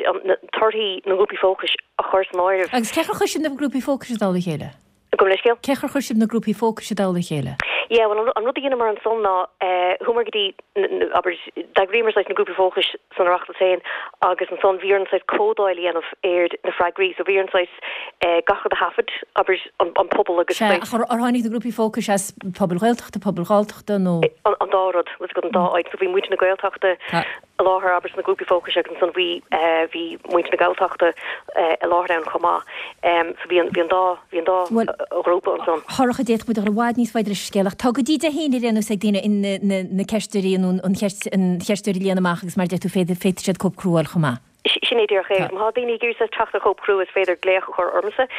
torthaí na ngrúpaí fócais a chur san áireamh. Agus cén chaoi ar chuir sibh na grúpaí fócais i dtoll a chéile? Gabh mo leithscéal? Cén chaoi ar chuir sibh na grúpaí fócais i dtoll a chéile? Yeah, bhuel, an rud a dheineamar ansan ná, chuamar go dtí, abair, d'eagraíomar saghas na grúpaí fócais san Oireachtas féin agus ansan bhí orainn saghas códáil a dhéanamh ar na freagraí. So bhí orainn saghas gach rud a thaifead, abair, an pobal agus Sea, ach ar tháinig na grúpaí fócais as pobail Ghaeltachta, pobail Ghalltachta nó? An dá rud, bhfuil 's agat, an dá áit. So bhí muintir na Gaeltachta i láthair, abair, sna grúpaí fócais agus ansan bhí, bhí muintir na Galltachta i láthair ann chomh maith. So bhí an, bhí an dá, bhí an dá ghrúpa ansan. Shorcha, d'fhéadfadh muid a dhul i bhfad níos faide leis an scéal ach tá go dtí Dé hAoine ar aon nós ag daoine na, na ceistneoirí nó an cheist, an cheistneoir a líonadh amach agus mar a deir tú féadfaidh, féadfaidh siad cóip crua a fháil chomh maith. Sin é díreach é. Má tá daoine ag iarraidh teacht ar chóip chrua is féidir glaoch a chur ormsa,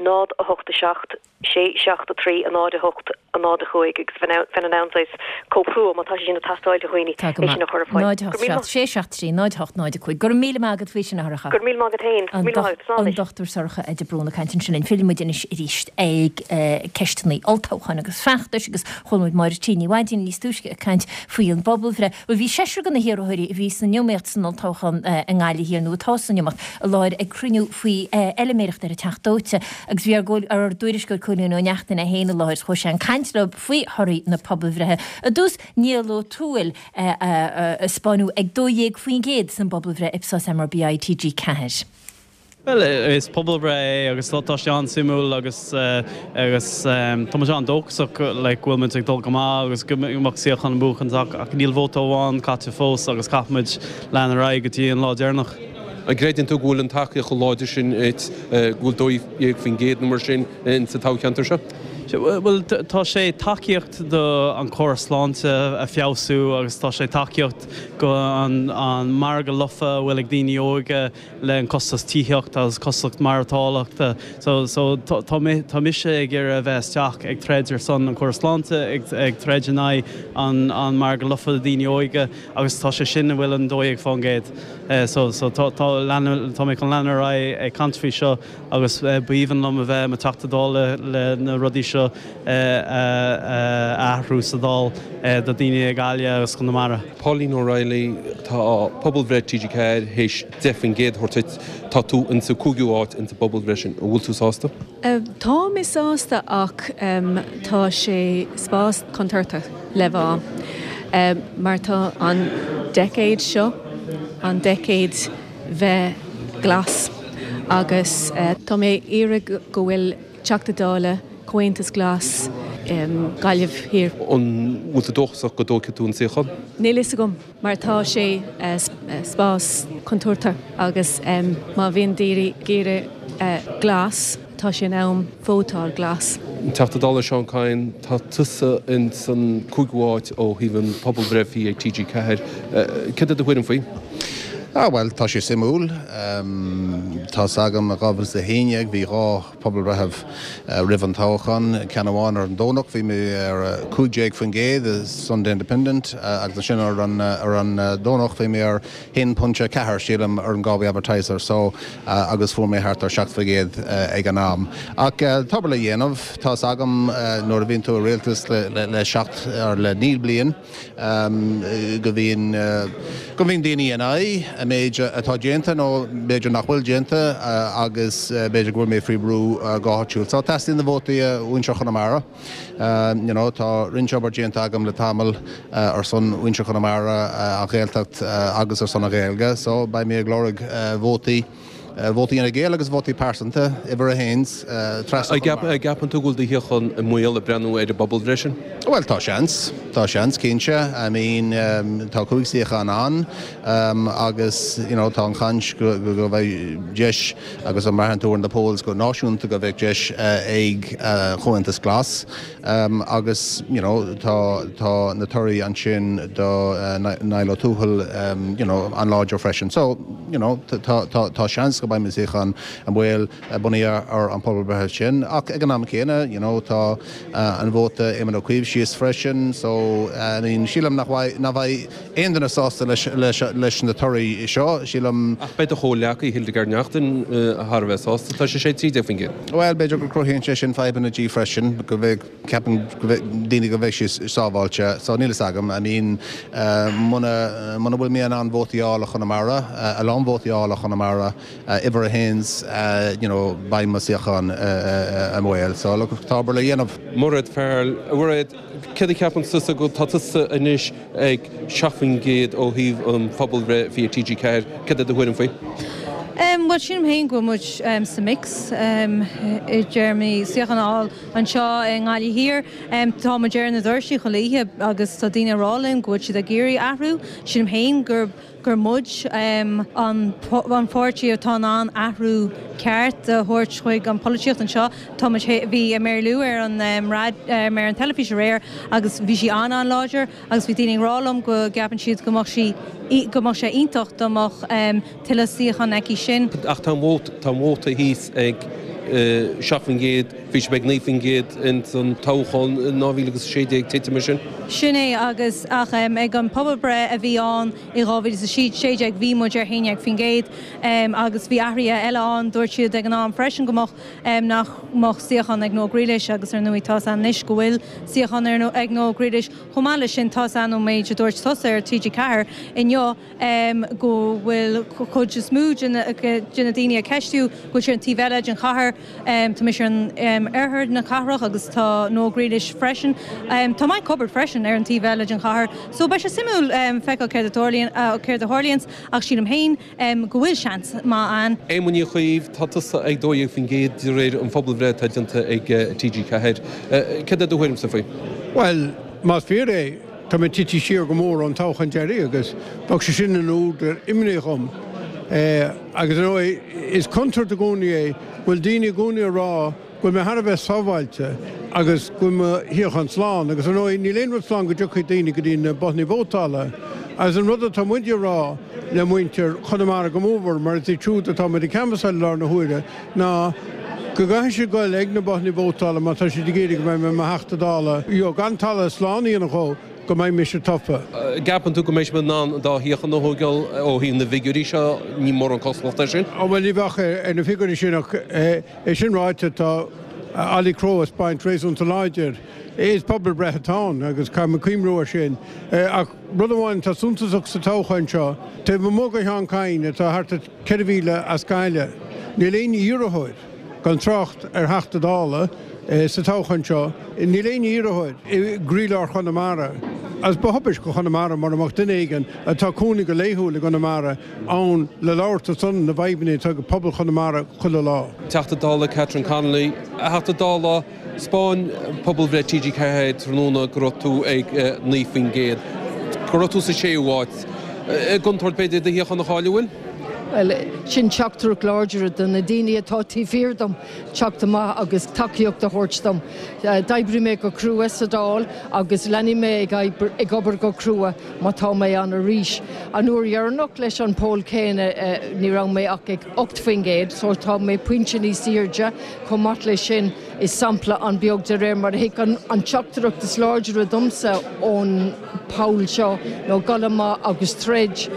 náid a hocht a seacht, sé seacht a trí, a náid a hocht, a náid a cúig agus bheinn in ann saghas cóip chrua, má tá sé sin ag teastáil do dhaoine, Tá go é sin maith. a chur ar fáil. Náid a Go hocht raibh míle seacht, maith. sé seacht trí, náid a hocht, náid a cúig. Go raibh míle maith agat faoi sin, a Shorcha. Go raibh míle maith agat féin. Go An raibh míle maith agat. Slán An anois. Dochtúir Sorcha de Brún ag caint ansin linn. Fillfidh muid anois arís ag ceisteanna olltoghcháin agus feachtais agus chuala muid Máire T. Ní Mhaidín níos túisce ag caint faoi an bpobalbhreith. Bhuel, bhí seisear de na hiarrthóirí a bhí san iomaíocht san olltoghchán i nGaillimh Thiar, nó atá san iomaíocht, i láthair ag cruinniú faoi fheilméireacht ar an Teach Dóite agus bhí ár dtuairisceoir Cóilín Ó Neachtain é féin i láthair. Chuaigh sé ag caint leo faoi thorthaí na pobalbhreithe. I dtús, Niall Ó Tuathail ag spáinniú ag dó dhéag faoin gcéad san bpobalbhreith Ipsos MRBI T G ceathair. Bhuel, is pobalbhreith é agus tá sé an-suimiúil agus agus tá muid an-dóchasach like go bhfuil muid ag dul go maith agus go mbeadh suíochán a bhuachan ach níl vóta amháin caite fós agus caithfimid lean ar aghaidh go dtí an lá deireanach. An gcreideann tú go bhfuil an tacaíocht chomh láidir sin duit, go bhfuil dó dhéag faoin gcéad nó mar sin in sa toghcheantar seo? Bhuel, tá sé tacaíocht do an córas sláinte a feabhsú agus tá sé tacaíocht go an an margadh lofa a bhfuil ag daoine óga le an costas tithíochta agus costas maireachtála. So so tá tá mise ag iarraidh a bheith isteach ag troid ar son an córas sláinte ag ag troid in aghaidh an an margadh lofa do daoine óga agus tá sé sin a bhfuil an dó dhéag faoin gcéad. So so tá tá tá mé chun leanúint ar aghaidh ag caint faoi seo agus b'aoibhinn liom a bheith i mo Teachta Dála le na rudaí seo a athrú sa Dáil do daoine i Gaillimh agus Conamara. Pauline O'Reilly, Tá pobalbhreith T G Ceathair théis deich faoin gcéad a thabhairt duit. Tá tú insa cúigiú háit insa bpobalbhreith sin. An bhfuil tú sásta? Tá mé sásta ach tá sé spás contúirteach le bheith ann mar tá an deicéad seo an deicéad bheith glas agus tá mé iarraidh go bhfuil Teachta Dála Comhaontas Glas Gaillimh Thiar. An bhfuil tú dóchasach go dtógfaidh tú an suíochán? Níl fhios agam mar tá sé spás contúirteach agus má bhíonn daoine ag iarraidh glas tá sé in am vótáil glas. Teachta Dála Seán Kyne, tá tusa ins an cúigiú háit ó thaobh an pobalbhreith a bhí ag T G Ceathair. Céard é do thuairim faoi? Ah bhuel, tá sé suimiúil. Tá's agam i dhá mhíle is a haon déag bhí dhá pobalbhreith roimh an toghchán, ceann amháin ar an Domhnach, bhí mé ar cúig déag faoin gcéad i Sunday Independent agus ansin ar an ar an Domhnach bhí mé ar haon pointe ceathair sílim ar an Galway Advertiser so agus fuair mé thart ar seacht faoin gcéad ag an am. Ach tá obair le dhéanamh, tá's agam nuair a bhíonn tú i rialtas le le seacht or le naoi bliain go mbíonn go mbíonn daoine in aghaidh an méid atá déanta nó b'fhéidir nach bhfuil déanta agus b'fhéidir go bhfuil mé faoi bhrú go háitiúil. So teastaíonn na vótaí ó mhuintir Chonamara. You know, tá roinnt obair déanta agam le tamall ar son mhuintir Chonamara, an Ghaeltacht agus ar son na Gaeilge, so beidh mé ag lorg vótaí. Vótaí Fhine Gael agus vótaí pearsanta, uimhir a haon, trasna An Chonamara. gceapann tú go bhfuil do shuíochán i mbaol ag breathnú ar an bpobalbhreith sin? Bhuel, tá seans. Tá seans, cinnte. I mean, tá cúig suíochán ann agus, you know, tá an chaint go go mbeidh deis agus an mbraitheann tú ar na polls go náisiúnta go mbeidh deis ag Comhaontas Glas agus, you know, tá tá na torthaí ansin do Niall Ó Tuathail, you know, an-láidir freisin. So, you know, tá tá tá seans go mbeidh mo shuíochán i mbaol bunaithe ar an pobalbhreith sin ach ag an am céanna, you know, tá an vóta Éamon Ó Cuív síos freisin so, I mean, sílim nach bhfaidh nach bheidh aon duine sásta leis leis leis na torthaí seo, sílim. Ach beidh do chomhghleacaí Hildegarde Naughton thar a bheith sásta, tá sise ag trí déag faoin gcéad. Bhuel, b'fhéidir go cruthaíonn sé sin fadhbanna di freisin, go mbeidh, ceapann go mbeidh daoine go mbeidh sí sábháilte, so níl fhios agam, I mean, muna muna bhfuil mé in ann vótaí a fháil ó Chonamara, a lán vótaí a fháil ó Chonamara, uimhir a haon, you know, beidh mo shuíochán i mbaol. So, look, tá obair le dhéanamh. Mairéad Farrell, a Mhairéad, céard a cheapann tusa go tá tusa anois ag seacht faoin gcéad ó thaobh an phobalbhreith a bhí ag T G Ceathair, céard é do thuairim faoi? Bhuel, sílim féin go bhfuil muid sa mix i dtéarmaí suíochán a fháil anseo i nGaillimh Thiar. Tá muid ar na doirsí chuile oíche agus tá daoine ag rá linn go bhfuil siad ag iarraidh athrú. Sílim féin gur gur muid an an pháirtí atá in ann athrú ceart a thabhairt chuig an polaitíocht anseo. Tá muid bhí Mary Lou ar an ar an teilifís aréir agus bhí sí an-an-láidir agus bhí daoine ag rá liom go gceapann siad go mbeadh sí go mbeadh sé iontach dá mbeadh tuilleadh suíochán aici sin. Ach tá an vóta tá an vóta thíos ag seacht faoin gcéad, bhí sé ag naoi faoin gcéad ins an toghchán in dhá mhíle agus a sé déag, titim sin. Sin é agus ach ag an pobalbhreith a bhí ann i dhá mhíle is a sé déag bhí muid ar haon déag faoin gcéad agus bhí athruithe eile ann. Dúirt siad ag an am freisin go mbeadh nach mbeadh suíochán ag Noel Grealish agus ar ndóigh tá's againn anois go bhfuil suíochán ag Noel Grealish. Chomh maith leis sin tá's againn ón méid a dúirt tusa ar T G Ceathair inniu go bhfuil cuid is mó de na daoine a ceistíodh go bhfuil siad ar an taobh eile den chathair. Tá mise ar an oirthear na cathrach agus tá Noel Grealish freisin. Tá Mike Hubbard freisin ar an taobh eile den chathair. So beidh sé suimiúil feiceáil céard a tarlaíonn céard a tharlaíonns ach sílim féin go bhfuil seans maith ann. Éamonn Uí Chuív, tá tusa ag dó dhéag faoin gcéad de réir an phobalbhreith atá déanta ag T G Ceathair. Céard é do thuairimse faoi? Bhuel, más fíor é, tá mé tite siar go mór ón toghchán deiridh agus bheadh sé sin ina údar imní dhom. Agus ar ndóigh, is contúirt i gcónaí é go bhfuil daoine i gcónaí ag rá go bhfuil mé thar a bheith sábháilte agus go bhfuil mo shuíochán slán agus ar ndóigh níl aon rud slán go dtiocfaidh daoine go dtí na bothanna vótála agus an rud atá muid a rá le muintir Chonamara go mórmhór mar is iad siúd atá muid ag canbhasáil i láthair na huaire ná go gcaithfidh siad goil ag na bothanna vótála má tá siad ag iarraidh go mbeidh mé i mo Theachta Dála gan talamh slán a dhéanamh dhó go mbeidh mise tofa. An gceapann tú go mbeidh sibh in ann an dá shuíochán a thógáil ó thaobh na bhfigiúirí seo? Ní mórán cosúlacht air sin. Ó bhuel ní bheadh ar na figiúirí sin ach é sin ráite tá Ollie Crowe ag spáint réasúnta láidir. Is pobalbhreith atá ann agus caithfidh muid cuimhniú air sin. Ach rud amháin atá suntasach sa toghchán seo, taobh amuigh de Sheán Kyne atá thart ar ceithre mhíle as Gaillimh, níl aon iarrthóir, gan trácht ar Theachta Dála, sa toghchán seo. Níl aon iarrthóir i gcroílár Chonamara agus ba thubaist do Chonamara mura mbeadh duine éigin atá cónaí go laethúil i gConamara ann le labhairt ar son na bhfadhbanna atá ag pobal Chonamara chuile lá. Teachta Dála Catherine Connolly, A Theachta Dála, 'spáin pobalbhreith T G ceathair tráthnóna go raibh tú ag naoi faoin gcéad, go raibh tú sa séú háit. I gcontúirt b'fhéidir do shuíochán a chailleadh, bhfuil? Bhuel, sin teachtaireacht láidir do na daoine atá taobh thiar dom teacht amach agus tacaíocht a thabhairt dom. D'oibrigh mé go crua sa Dáil agus leanfaidh mé ag obair go crua má tá mé ann arís. An uair dheireanach leis an poll céanna ní raibh mé ach ag ocht faoin gcéad so tá mé pointe níos airde. Chomh maith leis sin, is sampla an-bheag de réir mar a thuig an teachtaireacht is láidre domsa ón poll seo ná dul amach agus troid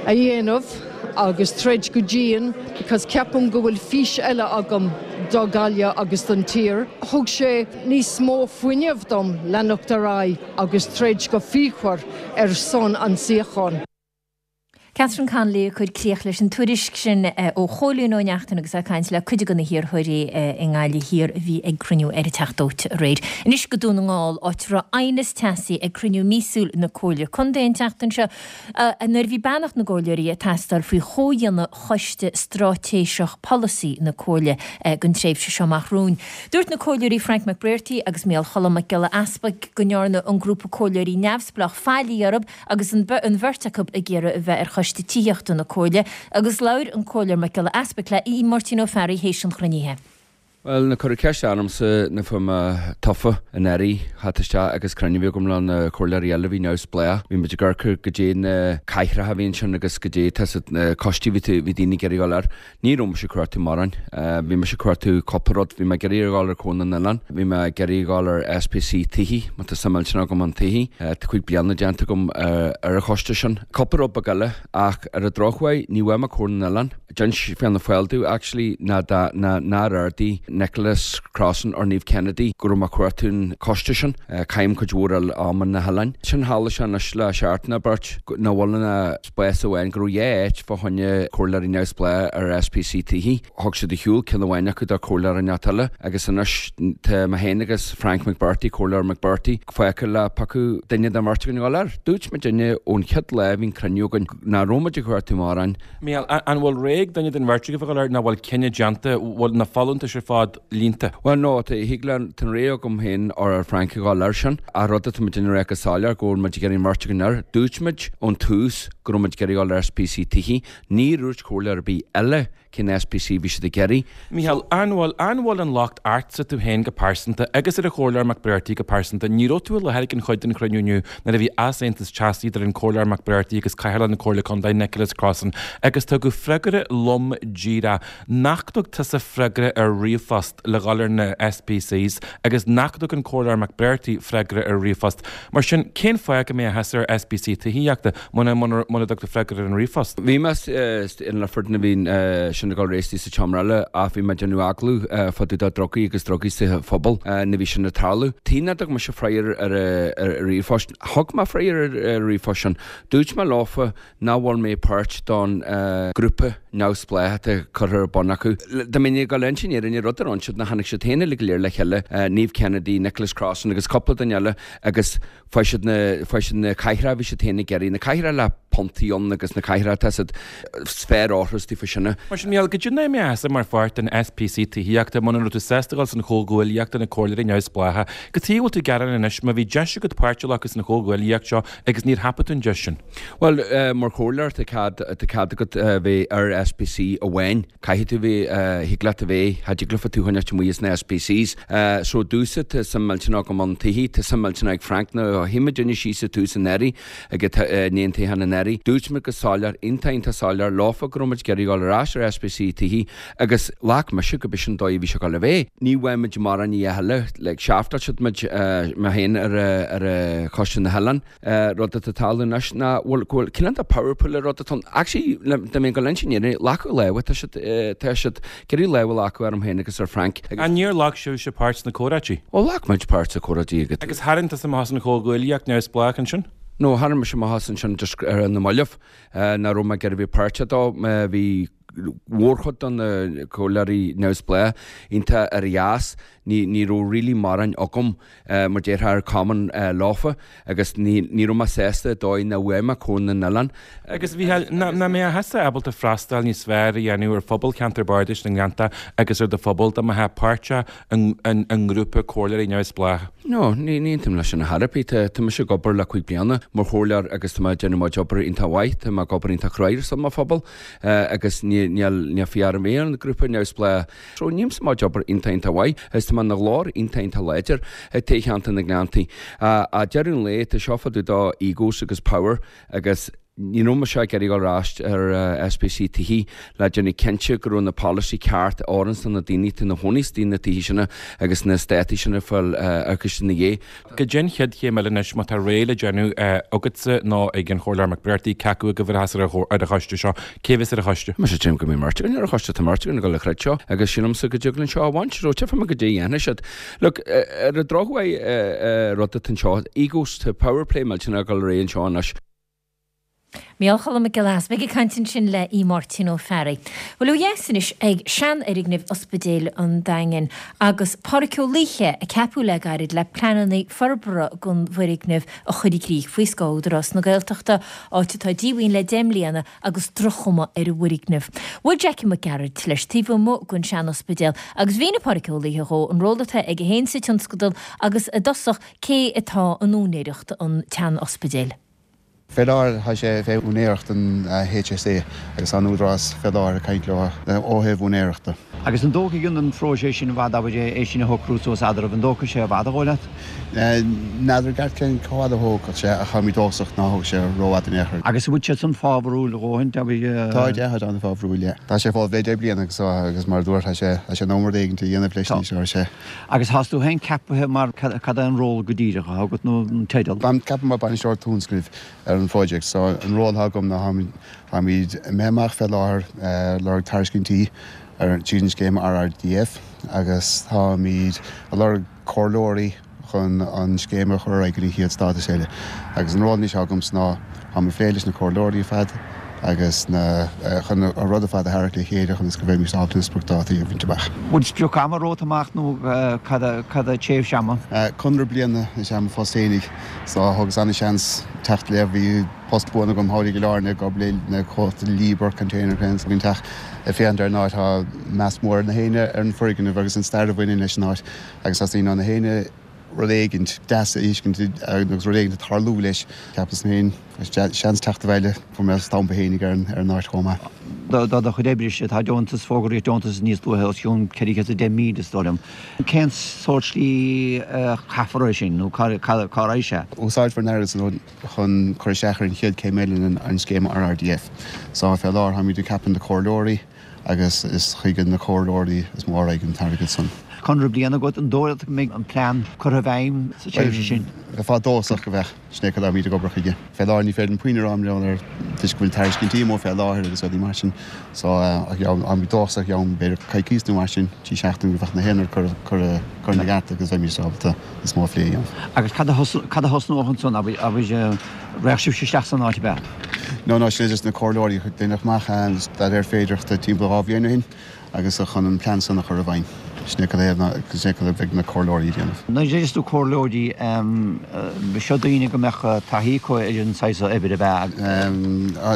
a dhéanamh agus troid go dian because ceapaim go bhfuil fís eile agam do Ghaillimh agus don tír. Thug sé níos mó fuinnimh dom leanacht ar aghaidh agus troid go fíochmhar ar son an suíocháin. Catherine Connolly ag cur críoch leis an tuairisc sin ó Chóilín Ó Neachtain agus é ag caint le cuid de na hiarrthóirí i nGaillimh Thiar a bhí ag cruinniú ar an Teach Dóite aréir. Anois go Dún na nGall, áit a raibh aighneas teasaí ag cruinniú míosúil na Comhairle Contae an tseachtain seo nuair a bhí beannacht na gcomhairleoirí ag teastáil faoi chomhdhéanamh Choiste Straitéiseach Polasaí na Comhairle don tréimhse seo amach romhainn. Dúirt na Comhairleoirí Frank McBrearty agus Micheál Choilm Mac Giolla Easpaig go ndearna an grúpa comhairleoirí neamhspleách faillí orthu agus an bheirt acu ag iarraidh a bheith ar Choiste Tithíochta na Comhairle agus labhair an Comhairleoir Mac Giolla Easpaig le Máirtín Ó Fearraigh théis an chruinnithe. Bhuel, nuair a cuireadh ceist ormsa nuair a fuair mé tofa anuraidh, theacht isteach agus cruinniú a bhí agam le na comhairleoirí eile a bhí neamhspleách. Bhí muid ag amharc ar goidé na cathracha a bhí ansin agus goidé tá siad na coistí a bhí bhí daoine ag iarraidh a dhul air. Ní raibh mise ag cuartú mórán. Bhí mise ag cuartú cúpla rud. Bhí mé ag iarraidh a dhul ar Comhar na nOileán. Bhí mé ag iarraidh a dhul ar S P C Tithí, má tá suim millteanach agam an tithí. Tá cúig bliana déanta agam ar an choiste sin. Cúpla rud beag eile ach ar an drochuair ní bhfuair mé Comhar na nOileán. D'inis Fianna Fáil domh actually ná dá ná nár ardaigh Nicholas Crossan or Niamh Kennedy go raibh mé ag cuartú an coiste sin. Caithim cuid mhór ama na hoileáin. Sin tharla sé anois le seachtain nó beirt nach bhfuil ina spás amháin go raibh dhá áit fá choinne comhairleoirí neamhspleách ar S P C Tithí. Thug siad ar shiúl ceann amháin acu do comhairleoir inteacht eile agus anois tá mé féin agus Frank McBrearty, Comhairleoir McBrearty, fágtha le piocadh duine den bheirt againn a dhul air. Dúirt muidinne ón chéad lá a bhí an cruinniú againn nach raibh muid ag cuartú mórán. Mícheál, an bhfuil rogha ag duine den bheirt agaibh a dhul air nó bhfuil cinneadh déanta, bhfuil na folúntais ar fad líonta? Bhuel no, tá thig le tá an rogha agam féin or Frank a dhul air sin. Ach rud atá muid ag rá go soiléir go bhfuil muid ag iarraidh an bheirt againn air. Dúirt muid ón tús go raibh muid ag iarraidh dhul ar S P C Tithí. Níor dhúirt comhairleoir ar bith eile cén S P C bhí siad ag iarraidh. Mícheál, an bhfuil an bhfuil an locht ortsa tú féin go pearsanta agus ar an chomhairleoir McBrearty go pearsanta, ní raibh tú i láthair ag an chuid den chruinniú inniu nuair a bhí easaontas teasaí idir an comhairleoir McBrearty agus cathaoirleach na Comhairle Contae Nicholas Crossan agus tugadh freagra lom díreach nach dtug tusa freagra ar ríomhphost le dhul ar na S P Cs agus nach dtug an comhairleoir McBrearty freagra ar ríomhphost. Mar sin cén fáth go mbeadh tusa ar S P C tithíochta muna muna dtug tú freagra ar an ríomhphost. Bhí mé in Lifford na bhín sin ag réistí sa tseomra eile ach bhí mé déanamh agallamh fá dtaobh de drugaí agus drugaí sa phobal nuair a bhí sin ag tarlú. Tí nach dtug mise freagra ar ar ríomhphost. Thug mé freagra ar ríomhphost sin. Dúirt mé leofa nach bhfuil mé páirt don grúpa neamhspleách atá curtha ar bun acu. Dá mbeinn go lein sin ar rud ar siad na tháinig siad féin le go léir le chéile Niamh Kennedy, Nicholas Crossan agus cúpla duine eile agus fuair siad na fuair siad na cathracha bhí siad féin ag iarraidh na cathracha le puntaí ann agus na cathracha tá sféar áthras fa sinna. Mar sin Mícheál, goidé nach mbeadh tusa mar pháirt den S P C tithíochta muna raibh tú sásta dul san chomhghuaillíocht na comhairleoirí neamhspleácha. Cad chuige a bhfuil tú ag gearán anois má bhí deis agat páirt a ghlacadh san chomhghuaillíocht seo agus níor thapaigh tú an deis sin. Well uh, mar chomhairleoir tá cead tá cead agat uh, bheith ar S P C amháin. Caithfidh tú bheith thig leat a bheith ha le tú a choinneáilt amuigh as na SPCs. So domhsa tá suim millteanach agam ann tithí, tá suim millteanach ag Frank nuair a shuigh muidinne síos i tús an earraigh ag an aon toghchán anuraidh. Dúirt muid go soiléir, iontach iontach soiléir leofa go raibh muid ag iarraidh dul ar ais ar SPC tithí agus ghlac mise go b'shin an dóigh a bhí sé ag dul a bheith. Ní bhfuair muid mórán ní a thuilleadh, like seaftáil siad muid, mé féin ar ar Choiste na hOileán. Rud atá ag tarlú anois ná bhfuil go bhfuil cineál de power play rud atá ann. Actually dá mbeinn ag dul a inse an fhírinne, glacadh lámha, tá siad tá siad ag iarraidh lámh a ghlacadh orm féin agus ar Frank agus. An níor ghlac sibhse páirt sna comhráití? Ó ghlac muid páirt sna comhráití agat. Agus tharraing tusa amach as an chomhghuaillíocht neamhspleách ansin? No, tharraing mise amach as ansin just ar na mallaibh nach raibh mé ag iarraidh bheith páirteach dó. Bhí mhórchuid de na comhairleoirí neamhspleách iontach ar dheas, ní ní raibh really mórán agam mar déarfá ar common leofa agus ní ní raibh mé sásta dóigh nach bhfuair mé Comhairle na nOileán. Agus a Mhícheáil, nach mbeadh thusa ábalta freastal níos fearr a dhéanamh ar phobal Cheantar Bardais na nGleannta agus ar do phobal dá mbeifeá páirteach i ngrúpa comhairleoirí neamhspleácha? No, ní ní aontaím leis sin ar chor ar bith. Tá tá mise ag obair le cúig bliana mar chomhairleoir agus tá mé ag déanamh mo chuid obair iontach mhaith, tá mé ag obair iontach cruaidh ar son mo phobal agus ní níl níl fiú orm bheith ar an grúpa neamhspleách. So nímse mo chuid obair iontach iontach mhaith agus tá mé ina ghlór iontach iontach láidir ag toghcheantar na nGleanntaí. Ag deireadh an lae tá seo fá dtaobh de egos agus power agus ní raibh mise ag iarraidh dul ar ais ar SPC tithí le déanamh cinnte go raibh na polasaí ceart a oireanns do na daoine atá ina chónaí istigh na tithí sin agus na eastátaí sin ag fáil agus ina dhiaidh. Cad é an chéad chéim eile anois má tá réidh le déanamh agatsa nó ag an Chomhairleoir McBrearty, cé acu agaibh a bheas ar an choiste seo? Cé bheas ar an choiste? Mise deirim go mbeidh mbeirt againn ar an choiste, tá mbeirt againn ag dul le creid seo agus sílimse go dtig linn seo a bhaint, so tchífidh muid goidé a dhéanfaidh siad. Look, ar an drochuair rud atá anseo, egos, tá power play millteanach ag dul ar aghaidh anseo anois. Micheál Choilm Mac Giolla Easbuig ag caint ansin le Aodh Máirtín Ó Fearraigh. Bhuel ó dheas anois ag seanfhoirgneamh Ospidéal an Daingin agus Pádraic Ó Laoithe a ceapadh le gairid le pleananna forbartha don bhfoirgneamh a chur i gcrích faoi scáth Údarás na Gaeltachta, áit atá díomhaoin le deich mbliana agus droch-chuma ar an bhfoirgneamh. Bhuail Jackie Mac Gearailt leis taobh amuigh den sean-ospidéal agus mhínigh Pádraic Ó Laoithe dhó an ról atá aige féin sa tionscadal agus i dtosach cé atá in úinéireacht an tsean-ospidéil. Fé láthair tá sé fé úinéireacht an HSA agus tá an Údarás fé láthair ag caint leo ó thaobh úinéireachta. Agus an dtógfaidh an phróiseas sin i bhfad, abair, é sin a shocrú suas eadraibh, an dtógfaidh sé i bhfad, an dóigh leat? N'fheadar i gceart cén chomh fada a thógfadh sé ach táimid dóchasach ná thógfaidh sé rófhada in aon chor. Agus an bhfuil siad san fábharúil a dhóthain, abair? Táid, yeah, táid an-fhábharúil, yeah. Tá sé fós le deich bliana agus agus mar a dúirt, tá sé tá sé in am rud éigint a dhéanamh leis anois, ar sé. Agus thás tú féin ceapaithe mar, cad é an ról go díreach atá agat nó an teideal? Táim ceaptha mar bainisteoir tionscnaimh ar an phróiseacht so an ról atá agam ná táimid imithe amach fé láthair ag lorg tairiscintí ar tríd an scéim RRDF agus táimid ag lorg comhairleoirí chun an scéim a chur ar aghaidh go dtí an chéad stádas eile. Agus an ról anois atá agamsa ná táim ag plé leis na comhairleoirí ar fad agus na chun an rud ar fad a tharrac le chéile chun is go mbeimís ábalta na spriocdhátaí a bhaint amach. Bhfuil sprioc ama romhat amach nó cad é tréimhse ama? Conradh bliana is ea mo phost fhéinig so thugas an-seans teacht le, bhí post buan agam thall i gCill Airne ag obair le comhlacht Liebherr Container Cranes ag an teach ag féachaint ar an áit tá meas mór ag na héinne ar an foirgneamh agus an stair a bhaineann leis an áit agus tá daoine na héinne rud éigint deas a fheiscint agus rud éigint ag tarlú leis. Cheapas féin, seans teacht abhaile, fuair mé stampa fhéinig ar an áit chomh maith. Do do chuid oibre-se, tá deontas, fógraíodh deontas níos luaithe os cionn ceithre chéad is a deich míle is dóigh liom. Cén sórt slí a chaithfear é sin nó cá raghaidh sé? Úsáidfear an airgead san chun cur isteach ar an chéad céim eile in an scéim RRDF. So fé láthair táimid ag ceapadh na comhairleoirí agus is chuig na comhairleoirí is mó a raghaidh an t-airgead san. Conradh bliana agat, an dóigh leat go mbeidh an plean curtha i bhfeidhm sa tréimhse sin? Bheifeá dóchasach go mbeadh. Sin é cad táimid ag obair chuige. Fé láthair ní féidir liom puinn a rá mar gheall air toisc go bhfuil tairiscintí amuigh fé láthair agus rudaí mar sin. So táimid dóchasach i gceann b'fhéidir coicís nó mar sin, trí seachtaine go mbeadh na haon rud curtha ina gceart agus bheimís ábalta níos mó a phlé a dhéanamh. Agus cad a cad a thosnódh ansan, abair, raghadh sibhse isteach san áit ab ea? No, no, sin é just na comhairleoirí. Deineadh amach staidéar féidearthachta timpeall dhá bhliain ó shin. agus chun an plean san a chur i bhfeidhm. Sin é cad é sin é cad a bheidh na comhairleoirí ag déanamh. Nuair a deireas tú comhairleoirí, seo daoine go mbeadh taithí acu ar an saghas oibre ab ea?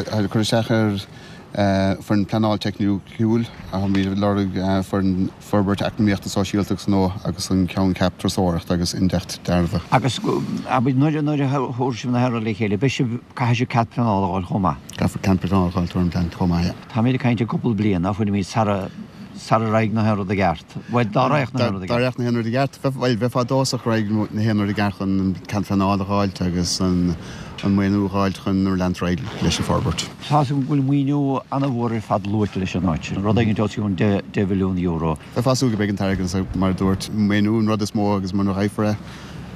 Tá cur isteach ar foireann pleanáil teicniúil, táimid ag lorg foireann forbairt eacnamaíochta sóisialta agus gnó agus an ceanncheap turasóireachta agus Indeacht dearbha. Agus nuair a thabharfaidh sibh na haon rud le chéile, beidh sibh, caithfidh sibh cead pleanála a fháil chomh maith? Caithfear cead pleanála a fháil tuairim plean chomh maith, yeah. Táimid ag caint ar cúpla bliain, ná fuilimid, sara sara raghaidh na haon rud i gceart. Bhuel, dá raghadh na haon rud i Dá gceart. raghadh na haon rud i gceart, bhuel, bheifeá dóchasach go raghadh na haon rud i gceart chun an cead pleanála a dh'fháilt agus an maoiniú a dh'fháilt chun leanúint ar aghaidh leis an forbairt. Tá 'fhios agam go bhfuil maoiniú an-mhór ar fad luaite leis an áit, rud éigin os cionn deich mhilliún euro. Bheifeá ag súil go mbeidh an t-airgead ann mar a dúirt, maoiniú an rud is mó agus muna bhfaighfear é,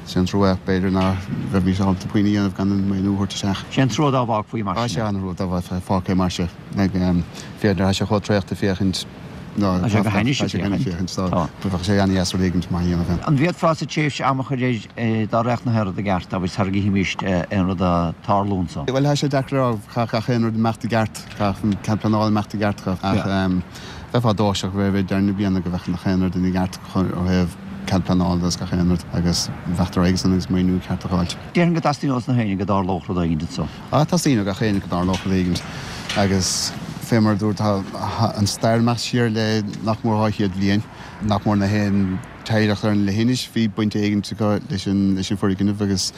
sé an trua, b'fhéidir ná bheimís ábalta puinn a dhéanamh gan an maoiniú a thabhairt isteach. Sé an trua dá bhfágfaí mar sin é. Sé an trua dá bhfágfaí mar sin é. Féachaint, tá sé chomh traochta féachaint ná Tá sé go hainnis tá sé go hainnis féachaint. féachaint tá bheadh sé an-dheas rud éigin maith a dhéanamh ann. An bhféadfá sa tréimhse ama a chur air dá raghadh na haon rud i gceart, abair, sara gcífimíst aon rud ag tarlú anso? Bhuel, tá sé deacair a rá, caithfidh gach aon rud imeacht i gceart, caithfidh an cead pleanála imeacht i gceart, ach bheifeá dóchasach roimh deireadh na bliana go mbeadh gach aon rud ina gceart ó thaobh cead pleanála agus gach aon rud agus bheadh ar aghaidh san agus maoiniú ceart a dh'fháilt. Déarfainn go dteastaíonn ós na héinne go dtarlódh rud éigin anso. Ah, teastaíonn ó gach éinne go dtarlódh rud éigin agus fé mar a dúirt tá an stair imeacht siar le nach mór dhá chéad bhliain, nach mór na haon teaghlach ar an leithinis bhí baint éigin acu leis an leis an foirgneamh agus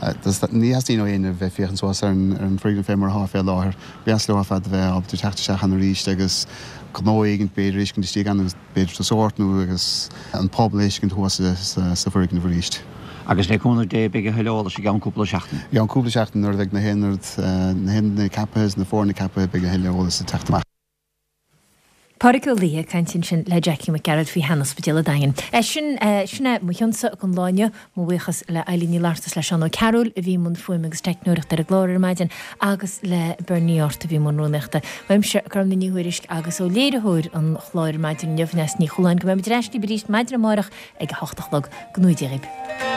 ní theastaíonn ó éinne bheith féachaint suas ar an ar an foirgneamh fé mar atá fé láthair. Ba dheas leo ar fad a bheith ábalta teacht isteach ann arís agus gnó éigin b'fhéidir a fheiscint istigh ann agus b'fhéidir tosóirt nó agus an pobal a fheiscint thuas sa foirgneamh arís. Agus le cúnamh Dé beidh a thuilleadh eolais i gceann cúpla seachtain. I gceann cúpla seachtain nuair a bheidh na haon rud, na haon duine ceaptha is na foirne ceaptha beidh a thuilleadh eolais ag teacht amach. Pádraig Ó Laoithe ag caint ansin le Jackie Mac Gearailt faoi shean-ospidéal an Daingin. Sin sin é mo chionsa don lá inniu. Mo bhuíochas le Eilín Ní Fhlatharta is le Seán Ó Cearúil a bhí i mbun fuaime agus teicneoireachta ar an gclár ar maidin agus le Bernie Art a bhí i mbun rúnaíochta. Uaimse, Gormfhlaith Ní Thuairisg agus ó léiritheoir an chláir ar maidin inniu, Neasa Ní Chualáin, go mbeidh muid ar ais libh arís maidin amárach ag a hocht a chlog. Go ngnóthaí Dia dhaoibh.